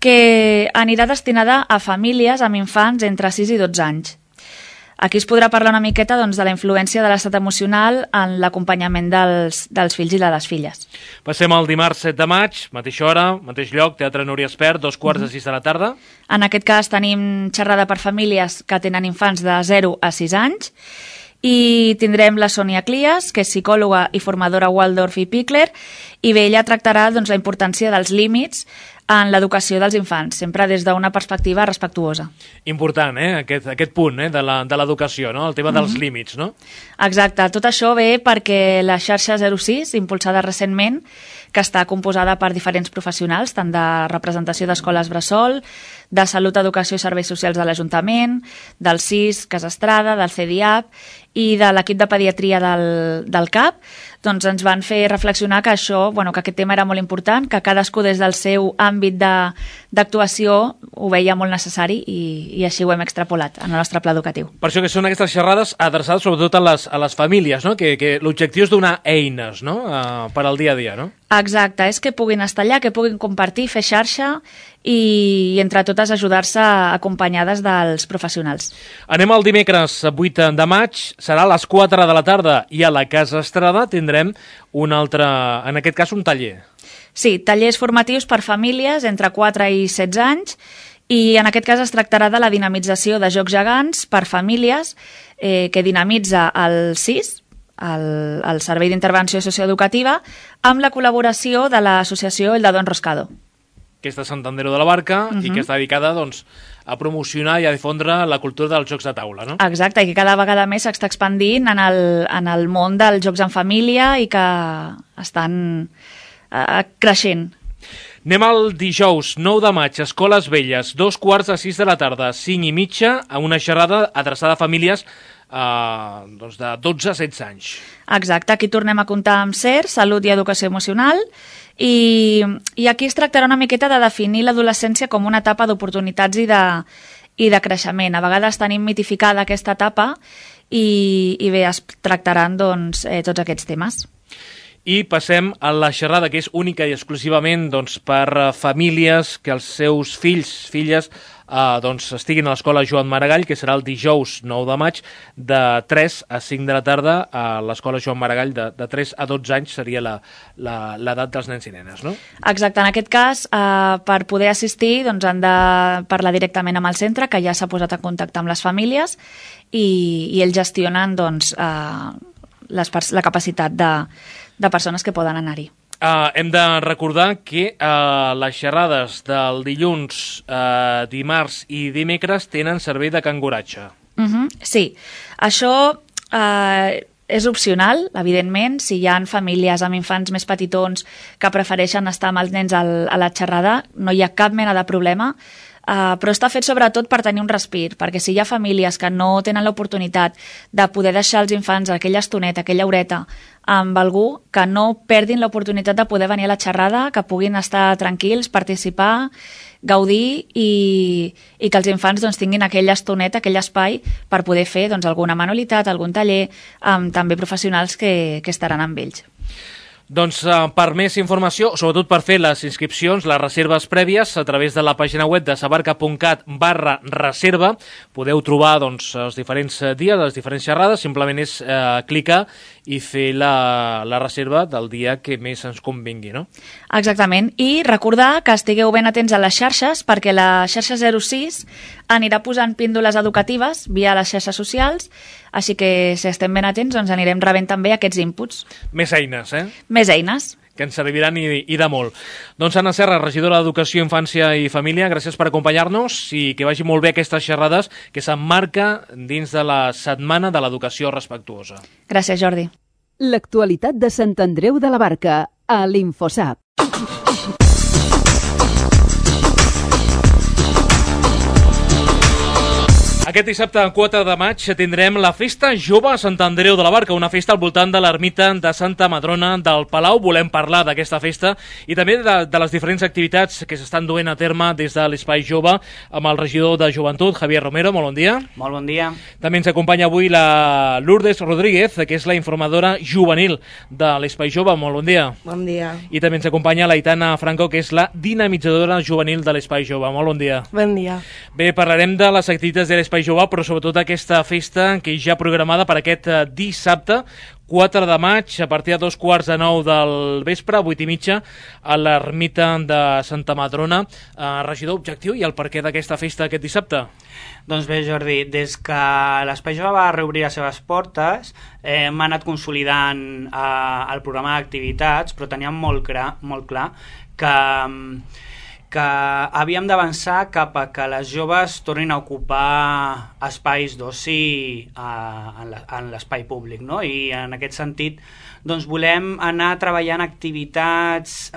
que anirà destinada a famílies amb infants entre 6 i 12 anys. Aquí es podrà parlar una miqueta doncs, de la influència de l'estat emocional en l'acompanyament dels fills i de les filles. Passem al dimarts 7 de maig, mateixa hora, mateix lloc, Teatre Núria Espert, 5:45 de la tarda. En aquest cas tenim xerrada per famílies que tenen infants de 0 a 6 anys, i tindrem la Sònia Clias, que és psicòloga i formadora Waldorf i Pickler, i bé, ella tractarà doncs, la importància dels límits en l'educació dels infants, sempre des d'una perspectiva respectuosa. Important, aquest punt de l'educació, no? El tema dels límits, no? Exacte, tot això ve perquè la xarxa 06, impulsada recentment, que està composada per diferents professionals, tant de representació d'escoles bressol, de Salut, Educació i Serveis Socials de l'Ajuntament, del CIS, Casa Estrada, del CEDIAP i de l'equip de pediatria del CAP, doncs ens van fer reflexionar que que aquest tema era molt important, que cadascú des del seu àmbit d'actuació ho veia molt necessari i així ho hem extrapolat en el nostre pla educatiu. Per això que són aquestes xerrades adreçades sobretot a les famílies, no? Que l'objectiu és donar eines, no? Per al dia a dia, no? Exacte, és que puguin estar allà, que puguin compartir, fer xarxa i entre totes ajudar-se acompanyades dels professionals. Anem al dimecres 8 de maig, serà a les 4 de la tarda i a la Casa Estrada tindrem un altre, en aquest cas un taller. Sí, tallers formatius per famílies entre 4 i 16 anys i en aquest cas es tractarà de la dinamització de jocs gegants per famílies que dinamitza el CIS, el Servei d'Intervenció Socioeducativa, amb la col·laboració de l'associació El Dado Enroscado. Que és de Sant Andreu de la Barca i que està dedicada doncs, a promocionar i a difondre la cultura dels jocs de taula, no? Exacte, i que cada vegada més s'està expandint en el món dels jocs en família i que estan creixent. Anem al dijous, 9 de maig, Escoles Velles, 2:45 de la tarda, 5:30, a una xerrada adreçada a famílies de 12 a 16 anys. Exacte, aquí tornem a comptar amb SER, Salut i Educació Emocional, i aquí es tractarà una miqueta de definir l'adolescència com una etapa d'oportunitats i de creixement. A vegades tenim mitificada aquesta etapa i bé, es tractaran doncs, tots aquests temes. I passem a la xerrada, que és única i exclusivament per famílies que els seus fills, filles, estiguin a l'escola Joan Maragall, que serà el dijous 9 de maig, de 3 a 5 de la tarda, a l'escola Joan Maragall, de 3 a 12 anys seria l'edat dels nens i nenes, no? Exacte, en aquest cas, per poder assistir, han de parlar directament amb el centre, que ja s'ha posat en contacte amb les famílies, i ells gestionen la capacitat de persones que poden anar-hi. Hem de recordar que les xerrades del dilluns, dimarts i dimecres tenen servei de canguratge. Sí, això és opcional, evidentment. Si hi ha famílies amb infants més petitons que prefereixen estar amb els nens a la xerrada, no hi ha cap mena de problema. Però està fet sobretot per tenir un respir, perquè si hi ha famílies que no tenen l'oportunitat de poder deixar els infants aquella estoneta, aquella horeta amb algú, que no perdin l'oportunitat de poder venir a la xerrada, que puguin estar tranquils, participar, gaudir i que els infants tinguin aquella estoneta, aquell espai per poder fer alguna manualitat, algun taller, amb també professionals que estaran amb ells. Doncs per més informació, sobretot per fer les inscripcions, les reserves prèvies, a través de la pàgina web de sabarca.cat/reserva, podeu trobar els diferents dies, les diferents xerrades, simplement és clicar i fer la reserva del dia que més ens convingui, no? Exactament, i recordar que estigueu ben atents a les xarxes, perquè la xarxa 06 anirà posant píndoles educatives via les xarxes socials, així que si estem ben atents anirem rebent també aquests inputs. Més eines, Més eines. Que ens serviran i de molt. Doncs Anna Serra, regidora d'Educació, Infància i Família, gràcies per acompanyar-nos i que vagi molt bé aquestes xerrades que s'emmarca dins de la Setmana de l'Educació Respectuosa. Gràcies, Jordi. L'actualitat de Sant Andreu de la Barca, a l'Infosap. Aquest dissabte, 4 de maig, tindrem la Festa Jove a Sant Andreu de la Barca, una festa al voltant de l'ermita de Santa Madrona del Palau. Volem parlar d'aquesta festa i també de les diferents activitats que s'estan duent a terme des de l'Espai Jove amb el regidor de Joventut, Javier Romero. Molt bon dia. Molt bon dia. També ens acompanya avui la Lourdes Rodríguez, que és la informadora juvenil de l'Espai Jove. Molt bon dia. Bon dia. I també ens acompanya la Aitana Franco, que és la dinamitzadora juvenil de l'Espai Jove. Molt bon dia. Bon dia. Bé, parlarem de les activitats de l'Espai Jove, però sobretot aquesta festa que ja programada per aquest dissabte, 4 de maig, a partir de 8:45 del vespre, 8:30, a l'ermita de Santa Madrona. Regidor, objectiu i el perquè d'aquesta festa aquest dissabte? Doncs bé, Jordi, des que l'Espai Jove va reobrir les seves portes, hem anat consolidant el programa d'activitats, però teníem molt clar que havíem d'avançar cap a que les joves tornin a ocupar espais d'oci en l'espai públic, no? I en aquest sentit doncs volem anar treballant activitats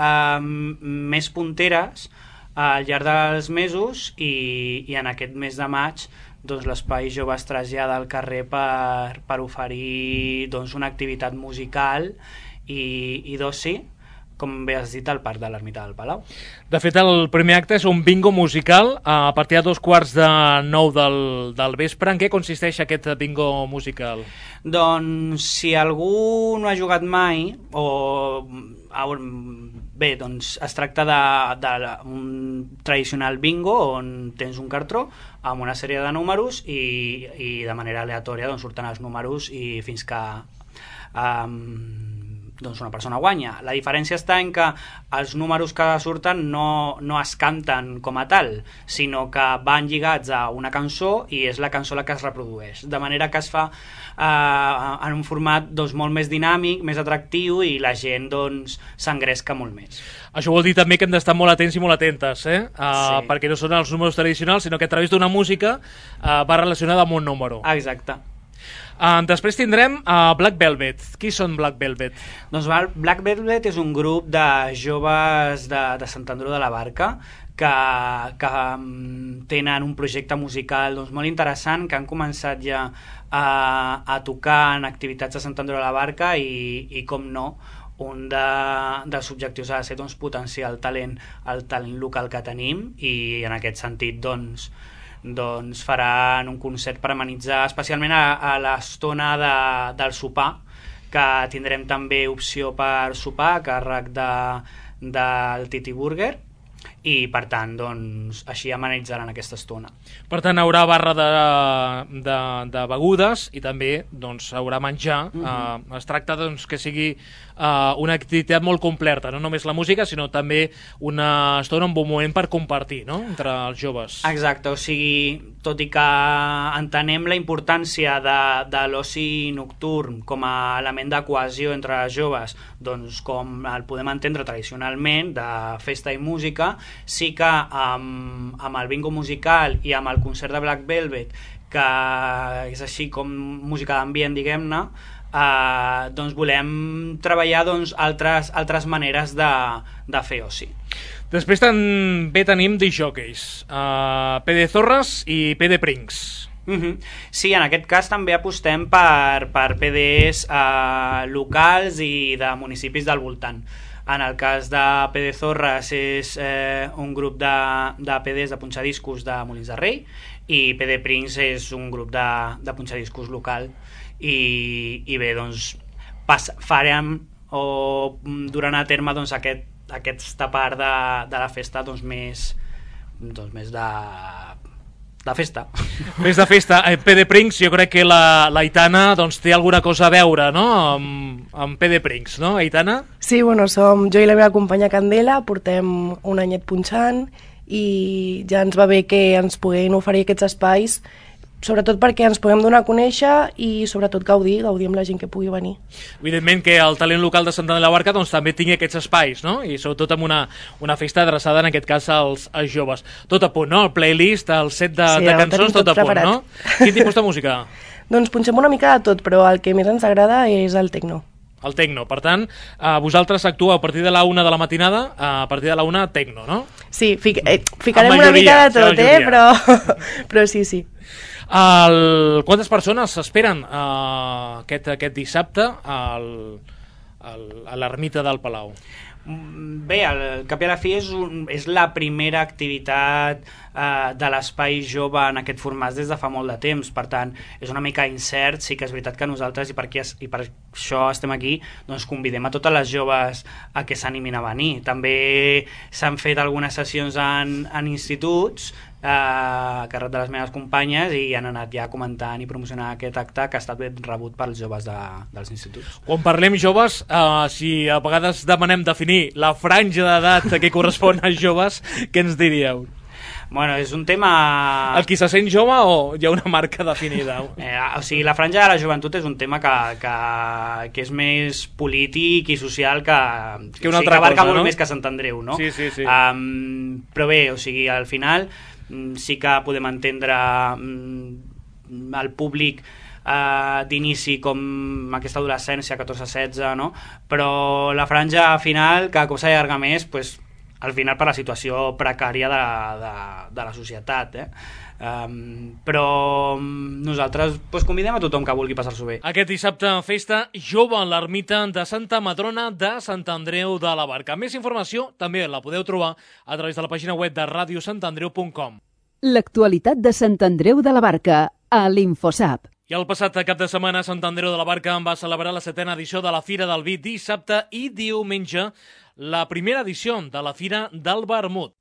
més punteres al llarg dels mesos i en aquest mes de maig doncs l'Espai Jove es trasllada al carrer per oferir doncs, una activitat musical i d'oci, com bé has dit, al Parc de l'Ermita del Palau. De fet, el primer acte és un bingo musical a partir de 8:45 del vespre. En què consisteix aquest bingo musical? Doncs si algú no ha jugat mai, bé, doncs es tracta d'un tradicional bingo on tens un cartró amb una sèrie de números i de manera aleatòria doncs, surten els números i fins que doncs una persona guanya. La diferència està en que els números que surten no es canten com a tal, sinó que van lligats a una cançó i és la cançó la que es reprodueix, de manera que es fa en un format doncs, molt més dinàmic, més atractiu i la gent doncs, s'engresca molt més. Això vol dir també que hem d'estar molt atents i molt atentes, Sí. perquè no són els números tradicionals, sinó que a través d'una música va relacionada amb un número. Exacte. Després tindrem Black Velvet. Qui són Black Velvet? Doncs Black Velvet és un grup de joves de Sant Andreu de la Barca que tenen un projecte musical doncs, molt interessant, que han començat ja a tocar en activitats de Sant Andreu de la Barca i com no, un dels objectius ha de ser doncs, potenciar el talent local que tenim, i en aquest sentit doncs faran un concert per amenitzar especialment a l'estona del sopar, que tindrem també opció per sopar a càrrec del Titi Burger, i per tant doncs, així amenitzaran aquesta estona. Per tant, haurà barra de begudes i també doncs, haurà menjar. Es tracta doncs, que sigui una activitat molt completa, no només la música, sinó també una estona, un bon moment per compartir, no?, entre els joves. Exacte, o sigui, tot i que entenem la importància de l'oci nocturn com a element de cohesió entre els joves, doncs com el podem entendre tradicionalment, de festa i música, sí que amb el bingo musical i amb el concert de Black Velvet, que és així com música d'ambient, diguem-ne, doncs volem treballar doncs, altres maneres de fer oci. Després també tenim discjòqueis, PD Zorras i PD Prinks. Sí, en aquest cas també apostem per PDs locals i de municipis del voltant. En el cas de PD Zorras és un grup de PDs de punxadiscos de Molins de Rei, i PD Prinks és un grup de punxadiscos local, i bé, doncs farem o durant a terme doncs, aquesta part de la festa doncs, més de festa. Més de festa. PD Prinks, jo crec que l'Aitana doncs, té alguna cosa a veure, no?, amb PD Prinks, no, Aitana? Sí, bueno, som jo i la meva companya Candela, portem un anyet punxant i ja ens va bé que ens puguin oferir aquests espais, sobretot perquè ens puguem donar a conèixer i sobretot gaudir amb la gent que pugui venir. Evidentment que el talent local de Sant Andreu de la Barca doncs, també tingui aquests espais, no?, i sobretot amb una festa adreçada en aquest cas als joves. Tot a punt, no?, el playlist, el set de cançons, tot a punt, no? Quin tipus de música? Doncs punxem una mica de tot, però el que més ens agrada és el tecno. El tecno, per tant, vosaltres actueu a partir de la 1 de la matinada, a partir de la 1 tecno, no? Sí, ficarem una mica de tot, però sí. Quantes persones s'esperen aquest dissabte a l'ermita del Palau? Bé, al cap i a la fi és la primera activitat de l'espai jove en aquest format des de fa molt de temps, per tant és una mica incert. Sí que és veritat que nosaltres, i per això estem aquí, doncs convidem a totes les joves a que s'animin a venir. També s'han fet algunes sessions en instituts a càrrec de les meves companyes, i han anat ja comentant i promocionant aquest acte, que ha estat ben rebut pels joves dels instituts. Quan parlem joves, si a vegades demanem definir la franja d'edat que correspon als joves, què ens diríeu? Bueno, és un tema... El qui se sent jove o hi ha una marca definida? O sigui, la franja de la joventut és un tema que és més polític i social que una altra abarca cosa, molt no? més que Sant Andreu, no? Sí. Però bé, o sigui, al final sí que podem entendre el públic d'inici com aquesta adolescència, 14-16, no? Però la franja final, cada cop s'allarga més, pues, al final per la situació precària de la societat, però nosaltres convidem a tothom que vulgui passar-s'ho bé. Aquest dissabte festa jove a l'ermita de Santa Madrona de Sant Andreu de la Barca. Més informació també la podeu trobar a través de la pàgina web de radiosantandreu.com. L'actualitat de Sant Andreu de la Barca a l'Infosap. I el passat cap de setmana Sant Andreu de la Barca va celebrar la 7a edició de la Fira del Vi, dissabte i diumenge, la primera edició de la Fira del Vermut.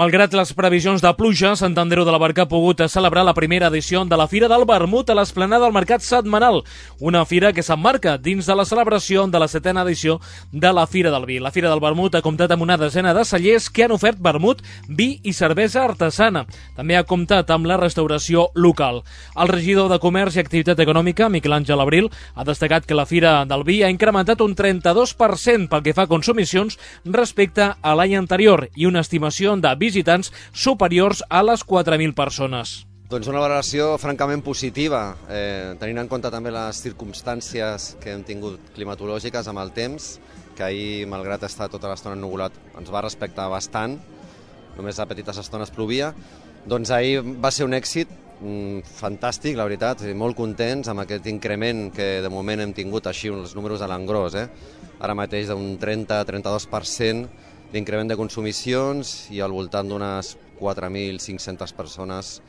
Malgrat les previsions de pluja, Sant Andreu de la Barca ha pogut celebrar la primera edició de la Fira del Vermut a l'esplanada del Mercat Setmanal, una fira que s'emmarca dins de la celebració de la 7a edició de la Fira del Vi. La Fira del Vermut ha comptat amb una desena de cellers que han ofert vermut, vi i cervesa artesana. També ha comptat amb la restauració local. El regidor de Comerç i Activitat Econòmica, Miquel Àngel Abril, ha destacat que la Fira del Vi ha incrementat un 32% pel que fa a consumicions respecte a l'any anterior i una estimació de visitants superiors a les 4.000 persones. Doncs una valoració francament positiva, tenint en compte també les circumstàncies que hem tingut climatològiques amb el temps, que ahir, malgrat estar tota l'estona ennuvolat, ens va respectar bastant, només a petites estones plovia. Doncs ahir va ser un èxit fantàstic, la veritat, molt contents amb aquest increment que de moment hem tingut així, els números a l'engròs, ara mateix d'un 30-32% d'increment de consumicions i al voltant d'unes 4.500 persones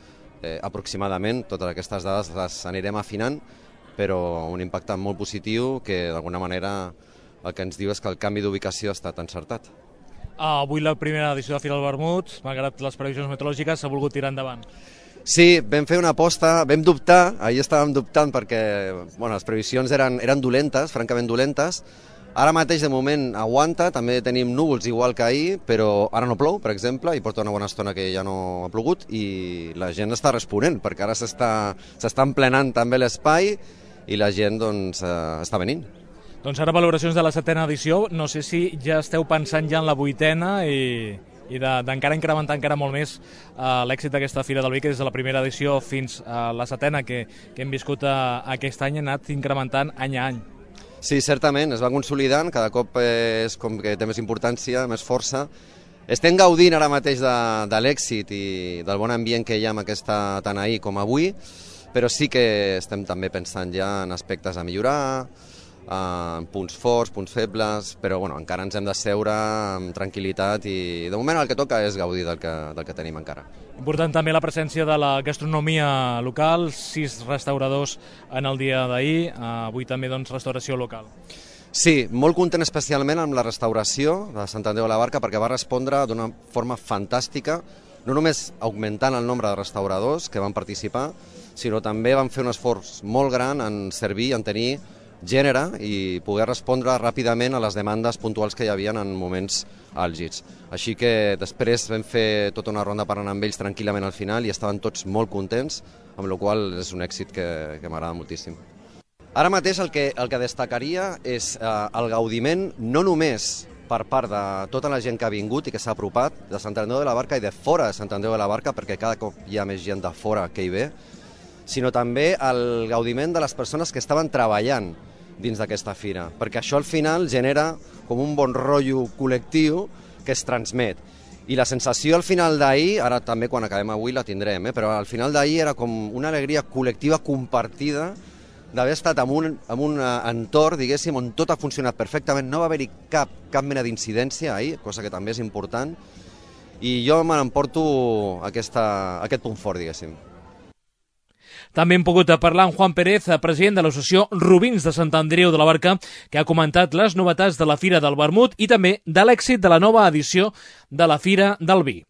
aproximadament. Totes aquestes dades les anirem afinant, però un impacte molt positiu que d'alguna manera el que ens diu és que el canvi d'ubicació ha estat encertat. Avui la primera edició de la Fira del Vermut, malgrat les previsions meteorològiques, s'ha volgut tirar endavant. Sí, vam fer una aposta, vam dubtar, ahir estàvem dubtant perquè les previsions eren dolentes, francament dolentes. Ara mateix, de moment, aguanta, també tenim núvols igual que ahir, però ara no plou, per exemple, i porta una bona estona que ja no ha plogut, i la gent està responent, perquè ara s'està emplenant també l'espai i la gent està venint. Doncs ara valoracions de la 7a edició, no sé si ja esteu pensant ja en la 8a i d'encara incrementar encara molt més l'èxit d'aquesta Fira del Vi, que des de la primera edició fins a la 7a que hem viscut aquest any ha anat incrementant any a any. Sí, certament, es va consolidant, cada cop és com que té més importància, més força. Estem gaudint ara mateix de l'èxit i del bon ambient que hi ha amb aquesta tant ahir com avui, però sí que estem també pensant ja en aspectes a millorar, en punts forts, punts febles, però encara ens hem de seure amb tranquil·litat i de moment el que toca és gaudir del que tenim encara. Important també la presència de la gastronomia local, 6 restauradors en el dia d'ahir, avui també restauració local. Sí, molt content especialment amb la restauració de Sant Andreu de la Barca perquè va respondre d'una forma fantàstica, no només augmentant el nombre de restauradors que van participar, sinó també van fer un esforç molt gran en servir, en tenir gènere i poder respondre ràpidament a les demandes puntuals que hi havia en moments àlgids. Així que després vam fer tota una ronda parlant amb ells tranquil·lament al final i estaven tots molt contents, amb la qual cosa és un èxit que m'agrada moltíssim. Ara mateix el que destacaria és el gaudiment no només per part de tota la gent que ha vingut i que s'ha apropat de Sant Andreu de la Barca i de fora de Sant Andreu de la Barca, perquè cada cop hi ha més gent de fora que hi ve, sinó també el gaudiment de les persones que estaven treballant dins d'aquesta fira, perquè això al final genera com un bon rotllo col·lectiu que es transmet. I la sensació al final d'ahir, ara també quan acabem avui la tindrem, però al final d'ahir era com una alegria col·lectiva compartida d'haver estat en un entorn, diguéssim, on tot ha funcionat perfectament, no va haver-hi cap mena d'incidència ahir, cosa que també és important, i jo me n'emporto aquest punt fort, diguéssim. També hem pogut parlar amb Juan Pérez, president de l'associació Rubins de Sant Andreu de la Barca, que ha comentat les novetats de la Fira del Vermut i també de l'èxit de la nova edició de la Fira del Vi.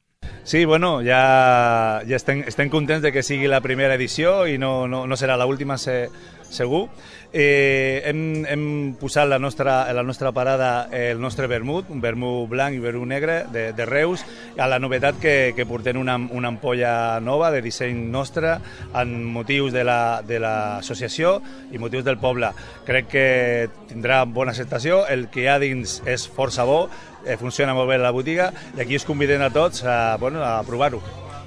Sí, ja estem contents de que sigui la primera edició i no serà l'última, segur. Hem posat la nostra parada el nostre vermut, un vermut blanc i vermut negre de Reus, a la novetat que portem una ampolla nova de disseny nostre amb motius de l'associació i motius del poble. Crec que tindrà bona acceptació, el que hi ha dins és força bo, funciona molt bé la botiga i aquí us convidem a tots a provar-ho.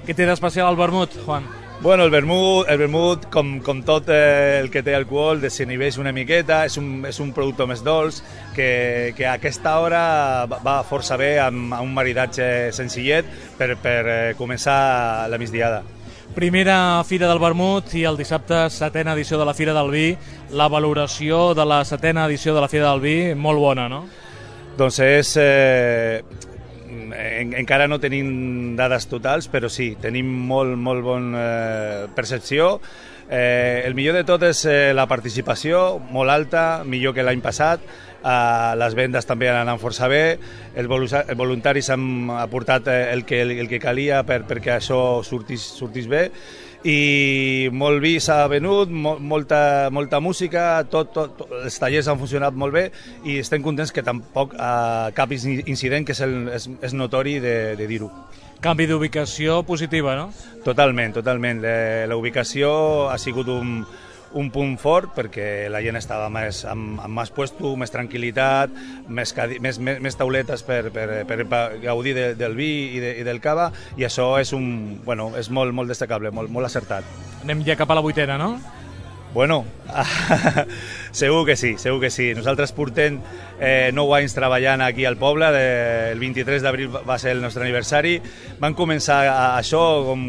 Què té d'especial el vermut, Juan? El vermut, com tot el que té alcohol, desinhibeix una miqueta, és un producte més dolç, que a aquesta hora va força bé amb un maridatge senzillet per començar la migdiada. Primera Fira del Vermut i el dissabte 7a edició de la Fira del Vi. La valoració de la 7a edició de la Fira del Vi, molt bona, no? Doncs encara no tenim dades totals, però sí, tenim molt bona percepció. El millor de tot és la participació, molt alta, millor que l'any passat. les vendes també han anat força bé, els voluntaris han aportat el que calia perquè això sortís bé, i molt vi s'ha venut, molta música, els tallers han funcionat molt bé i estem contents que tampoc cap incident, que és notori de dir-ho. Canvi d'ubicació positiva, no? Totalment. La ubicació ha sigut un punt fort perquè la gent estava amb més puesto, més tranquil·litat, més tauletes per gaudir del vi i del cava, i això és molt destacable, molt acertat. Anem ja cap a la 8ª, no? Bueno, segur que sí. Nosaltres portem 9 anys treballant aquí al poble, el 23 d'abril va ser el nostre aniversari. Vam començar això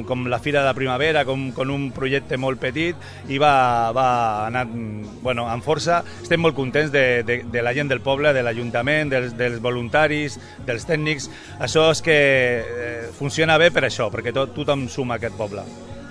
com la Fira de la Primavera, com un projecte molt petit, i va anar amb força. Estem molt contents de la gent del poble, de l'Ajuntament, dels voluntaris, dels tècnics. Això és que funciona bé per això, perquè tothom suma a aquest poble.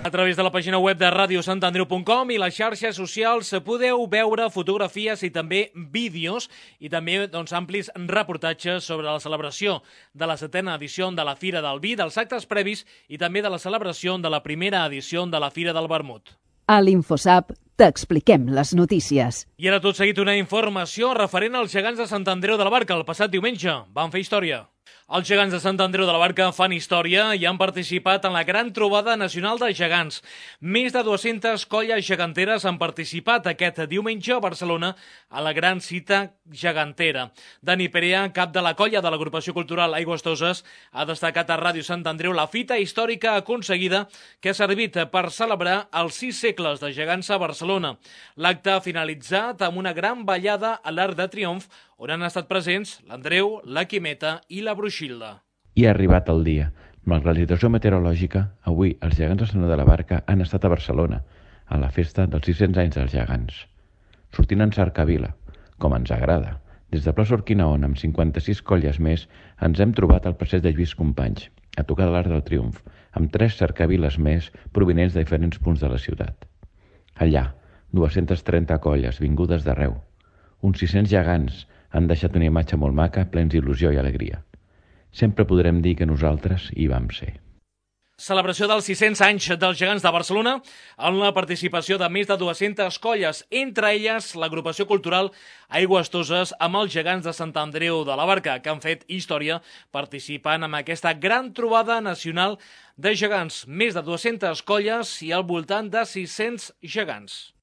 A través de la pàgina web de radiosantandreu.com i les xarxes socials podeu veure fotografies i també vídeos i també amplis reportatges sobre la celebració de la 7ª edició de la Fira del Vi, dels actes previs i també de la celebració de la primera edició de la Fira del Vermut. A l'InfoSap t'expliquem les notícies. I ara tot seguit una informació referent als gegants de Sant Andreu de la Barca. El passat diumenge van fer història. Els gegants de Sant Andreu de la Barca fan història i han participat en la gran trobada nacional de gegants. Més de 200 colles geganteres han participat aquest diumenge a Barcelona a la gran cita gegantera. Dani Perea, cap de la colla de l'agrupació cultural Aigües Toses, ha destacat a Ràdio Sant Andreu la fita històrica aconseguida que ha servit per celebrar els 6 segles de gegants a Barcelona. L'acte ha finalitzat amb una gran ballada a l'Arc de Triomf, on han estat presents l'Andreu, la Quimeta i la Bruixilda. I ha arribat el dia. Malgrat la situació meteorològica, avui els gegants de Sant Andreu de la Barca han estat a Barcelona, a la festa dels 600 anys dels gegants. Sortint en cercavila, com ens agrada. Des de plaça Urquinaon, amb 56 colles més, ens hem trobat al passeig de Lluís Companys, a tocar de l'Arc del Triomf, amb 3 cercaviles més provinents de diferents punts de la ciutat. Allà, 230 colles vingudes d'arreu. Uns 600 gegants han deixat una imatge molt maca, plens d'il·lusió i alegria. Sempre podrem dir que nosaltres hi vam ser. Celebració dels 600 anys dels gegants de Barcelona amb la participació de més de 200 colles, entre elles l'agrupació cultural Aigües Toses amb els gegants de Sant Andreu de la Barca, que han fet història participant en aquesta gran trobada nacional de gegants. Més de 200 colles i al voltant de 600 gegants.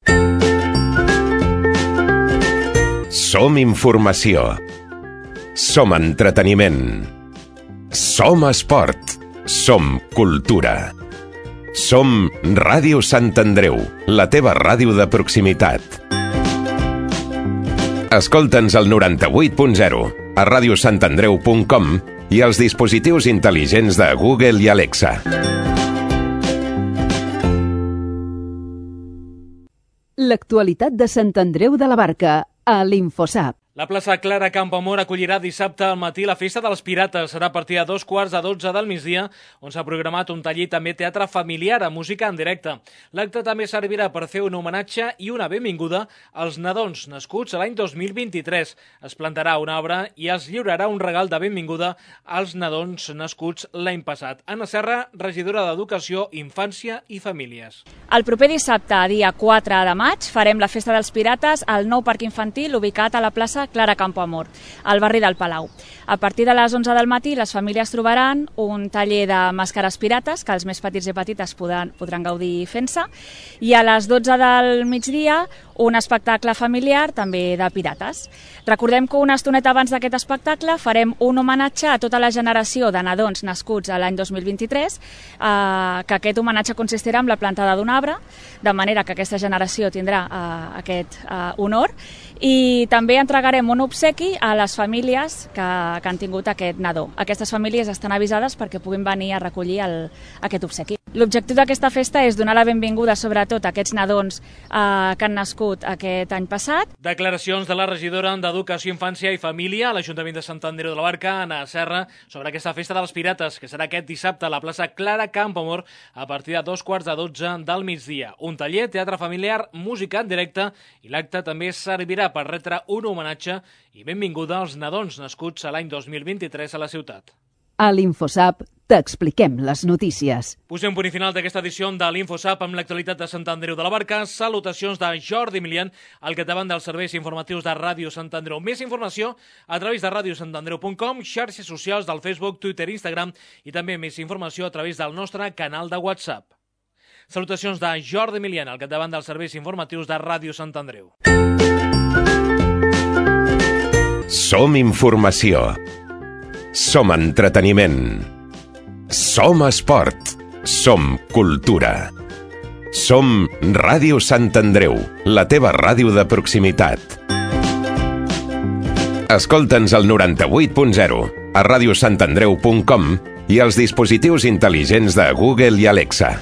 Som informació. Som entreteniment. Som esport. Som cultura. Som Ràdio Sant Andreu, la teva ràdio de proximitat. Escolta'ns al 98.0, a radiosantandreu.com i als dispositius intel·ligents de Google i Alexa. L'actualitat de Sant Andreu de la Barca a l'InfoSap. La plaça Clara Campoamor acollirà dissabte al matí la Festa dels Pirates. Serà a partir de 2:15 del migdia, on s'ha programat un taller i també teatre familiar amb música en directe. L'acte també servirà per fer un homenatge i una benvinguda als nadons nascuts l'any 2023. Es plantarà un arbre i es lliurarà un regal de benvinguda als nadons nascuts l'any passat. Anna Serra, regidora d'Educació, Infància i Famílies. El proper dissabte, dia 4 de maig, farem la Festa dels Pirates al nou parc infantil ubicat a la plaça Clara Campoamor, al barri del Palau. A partir de les 11 del matí, les famílies trobaran un taller de màscares pirates, que els més petits i petites podran gaudir fent-se, i a les 12 del migdia, un espectacle familiar també de pirates. Recordem que una estoneta abans d'aquest espectacle farem un homenatge a tota la generació de nadons nascuts a l'any 2023, que aquest homenatge consistirà en la plantada d'un arbre, de manera que aquesta generació tindrà aquest honor, i també entregarem un obsequi a les famílies que han tingut aquest nadó. Aquestes famílies estan avisades perquè puguin venir a recollir aquest obsequi. L'objectiu d'aquesta festa és donar la benvinguda sobretot a aquests nadons que han nascut aquest any passat. Declaracions de la regidora d'Educació, Infància i Família a l'Ajuntament de Sant Andreu de la Barca, Anna Serra, sobre aquesta festa dels pirates, que serà aquest dissabte a la plaça Clara Campoamor a partir de 2:15 del migdia. Un taller, teatre familiar, música en directe, i l'acte també servirà per retre un homenatge homenatge i benvinguda als nadons nascuts a l'any 2023 a la ciutat. A l'InfoSap t'expliquem les notícies. Posem punt i final d'aquesta edició de l'InfoSap amb l'actualitat de Sant Andreu de la Barca. Salutacions de Jordi Milian, al capdavant dels serveis informatius de Ràdio Sant Andreu. Més informació a través de radiosantandreu.com, xarxes socials del Facebook, Twitter, Instagram i també més informació a través del nostre canal de WhatsApp. Salutacions de Jordi Milian, al capdavant dels serveis informatius de Ràdio Sant Andreu. Som informació. Som entreteniment. Som esport. Som cultura. Som Ràdio Sant Andreu, la teva ràdio de proximitat. Escolta'ns al 98.0, a radiosantandreu.com i als dispositius intel·ligents de Google i Alexa.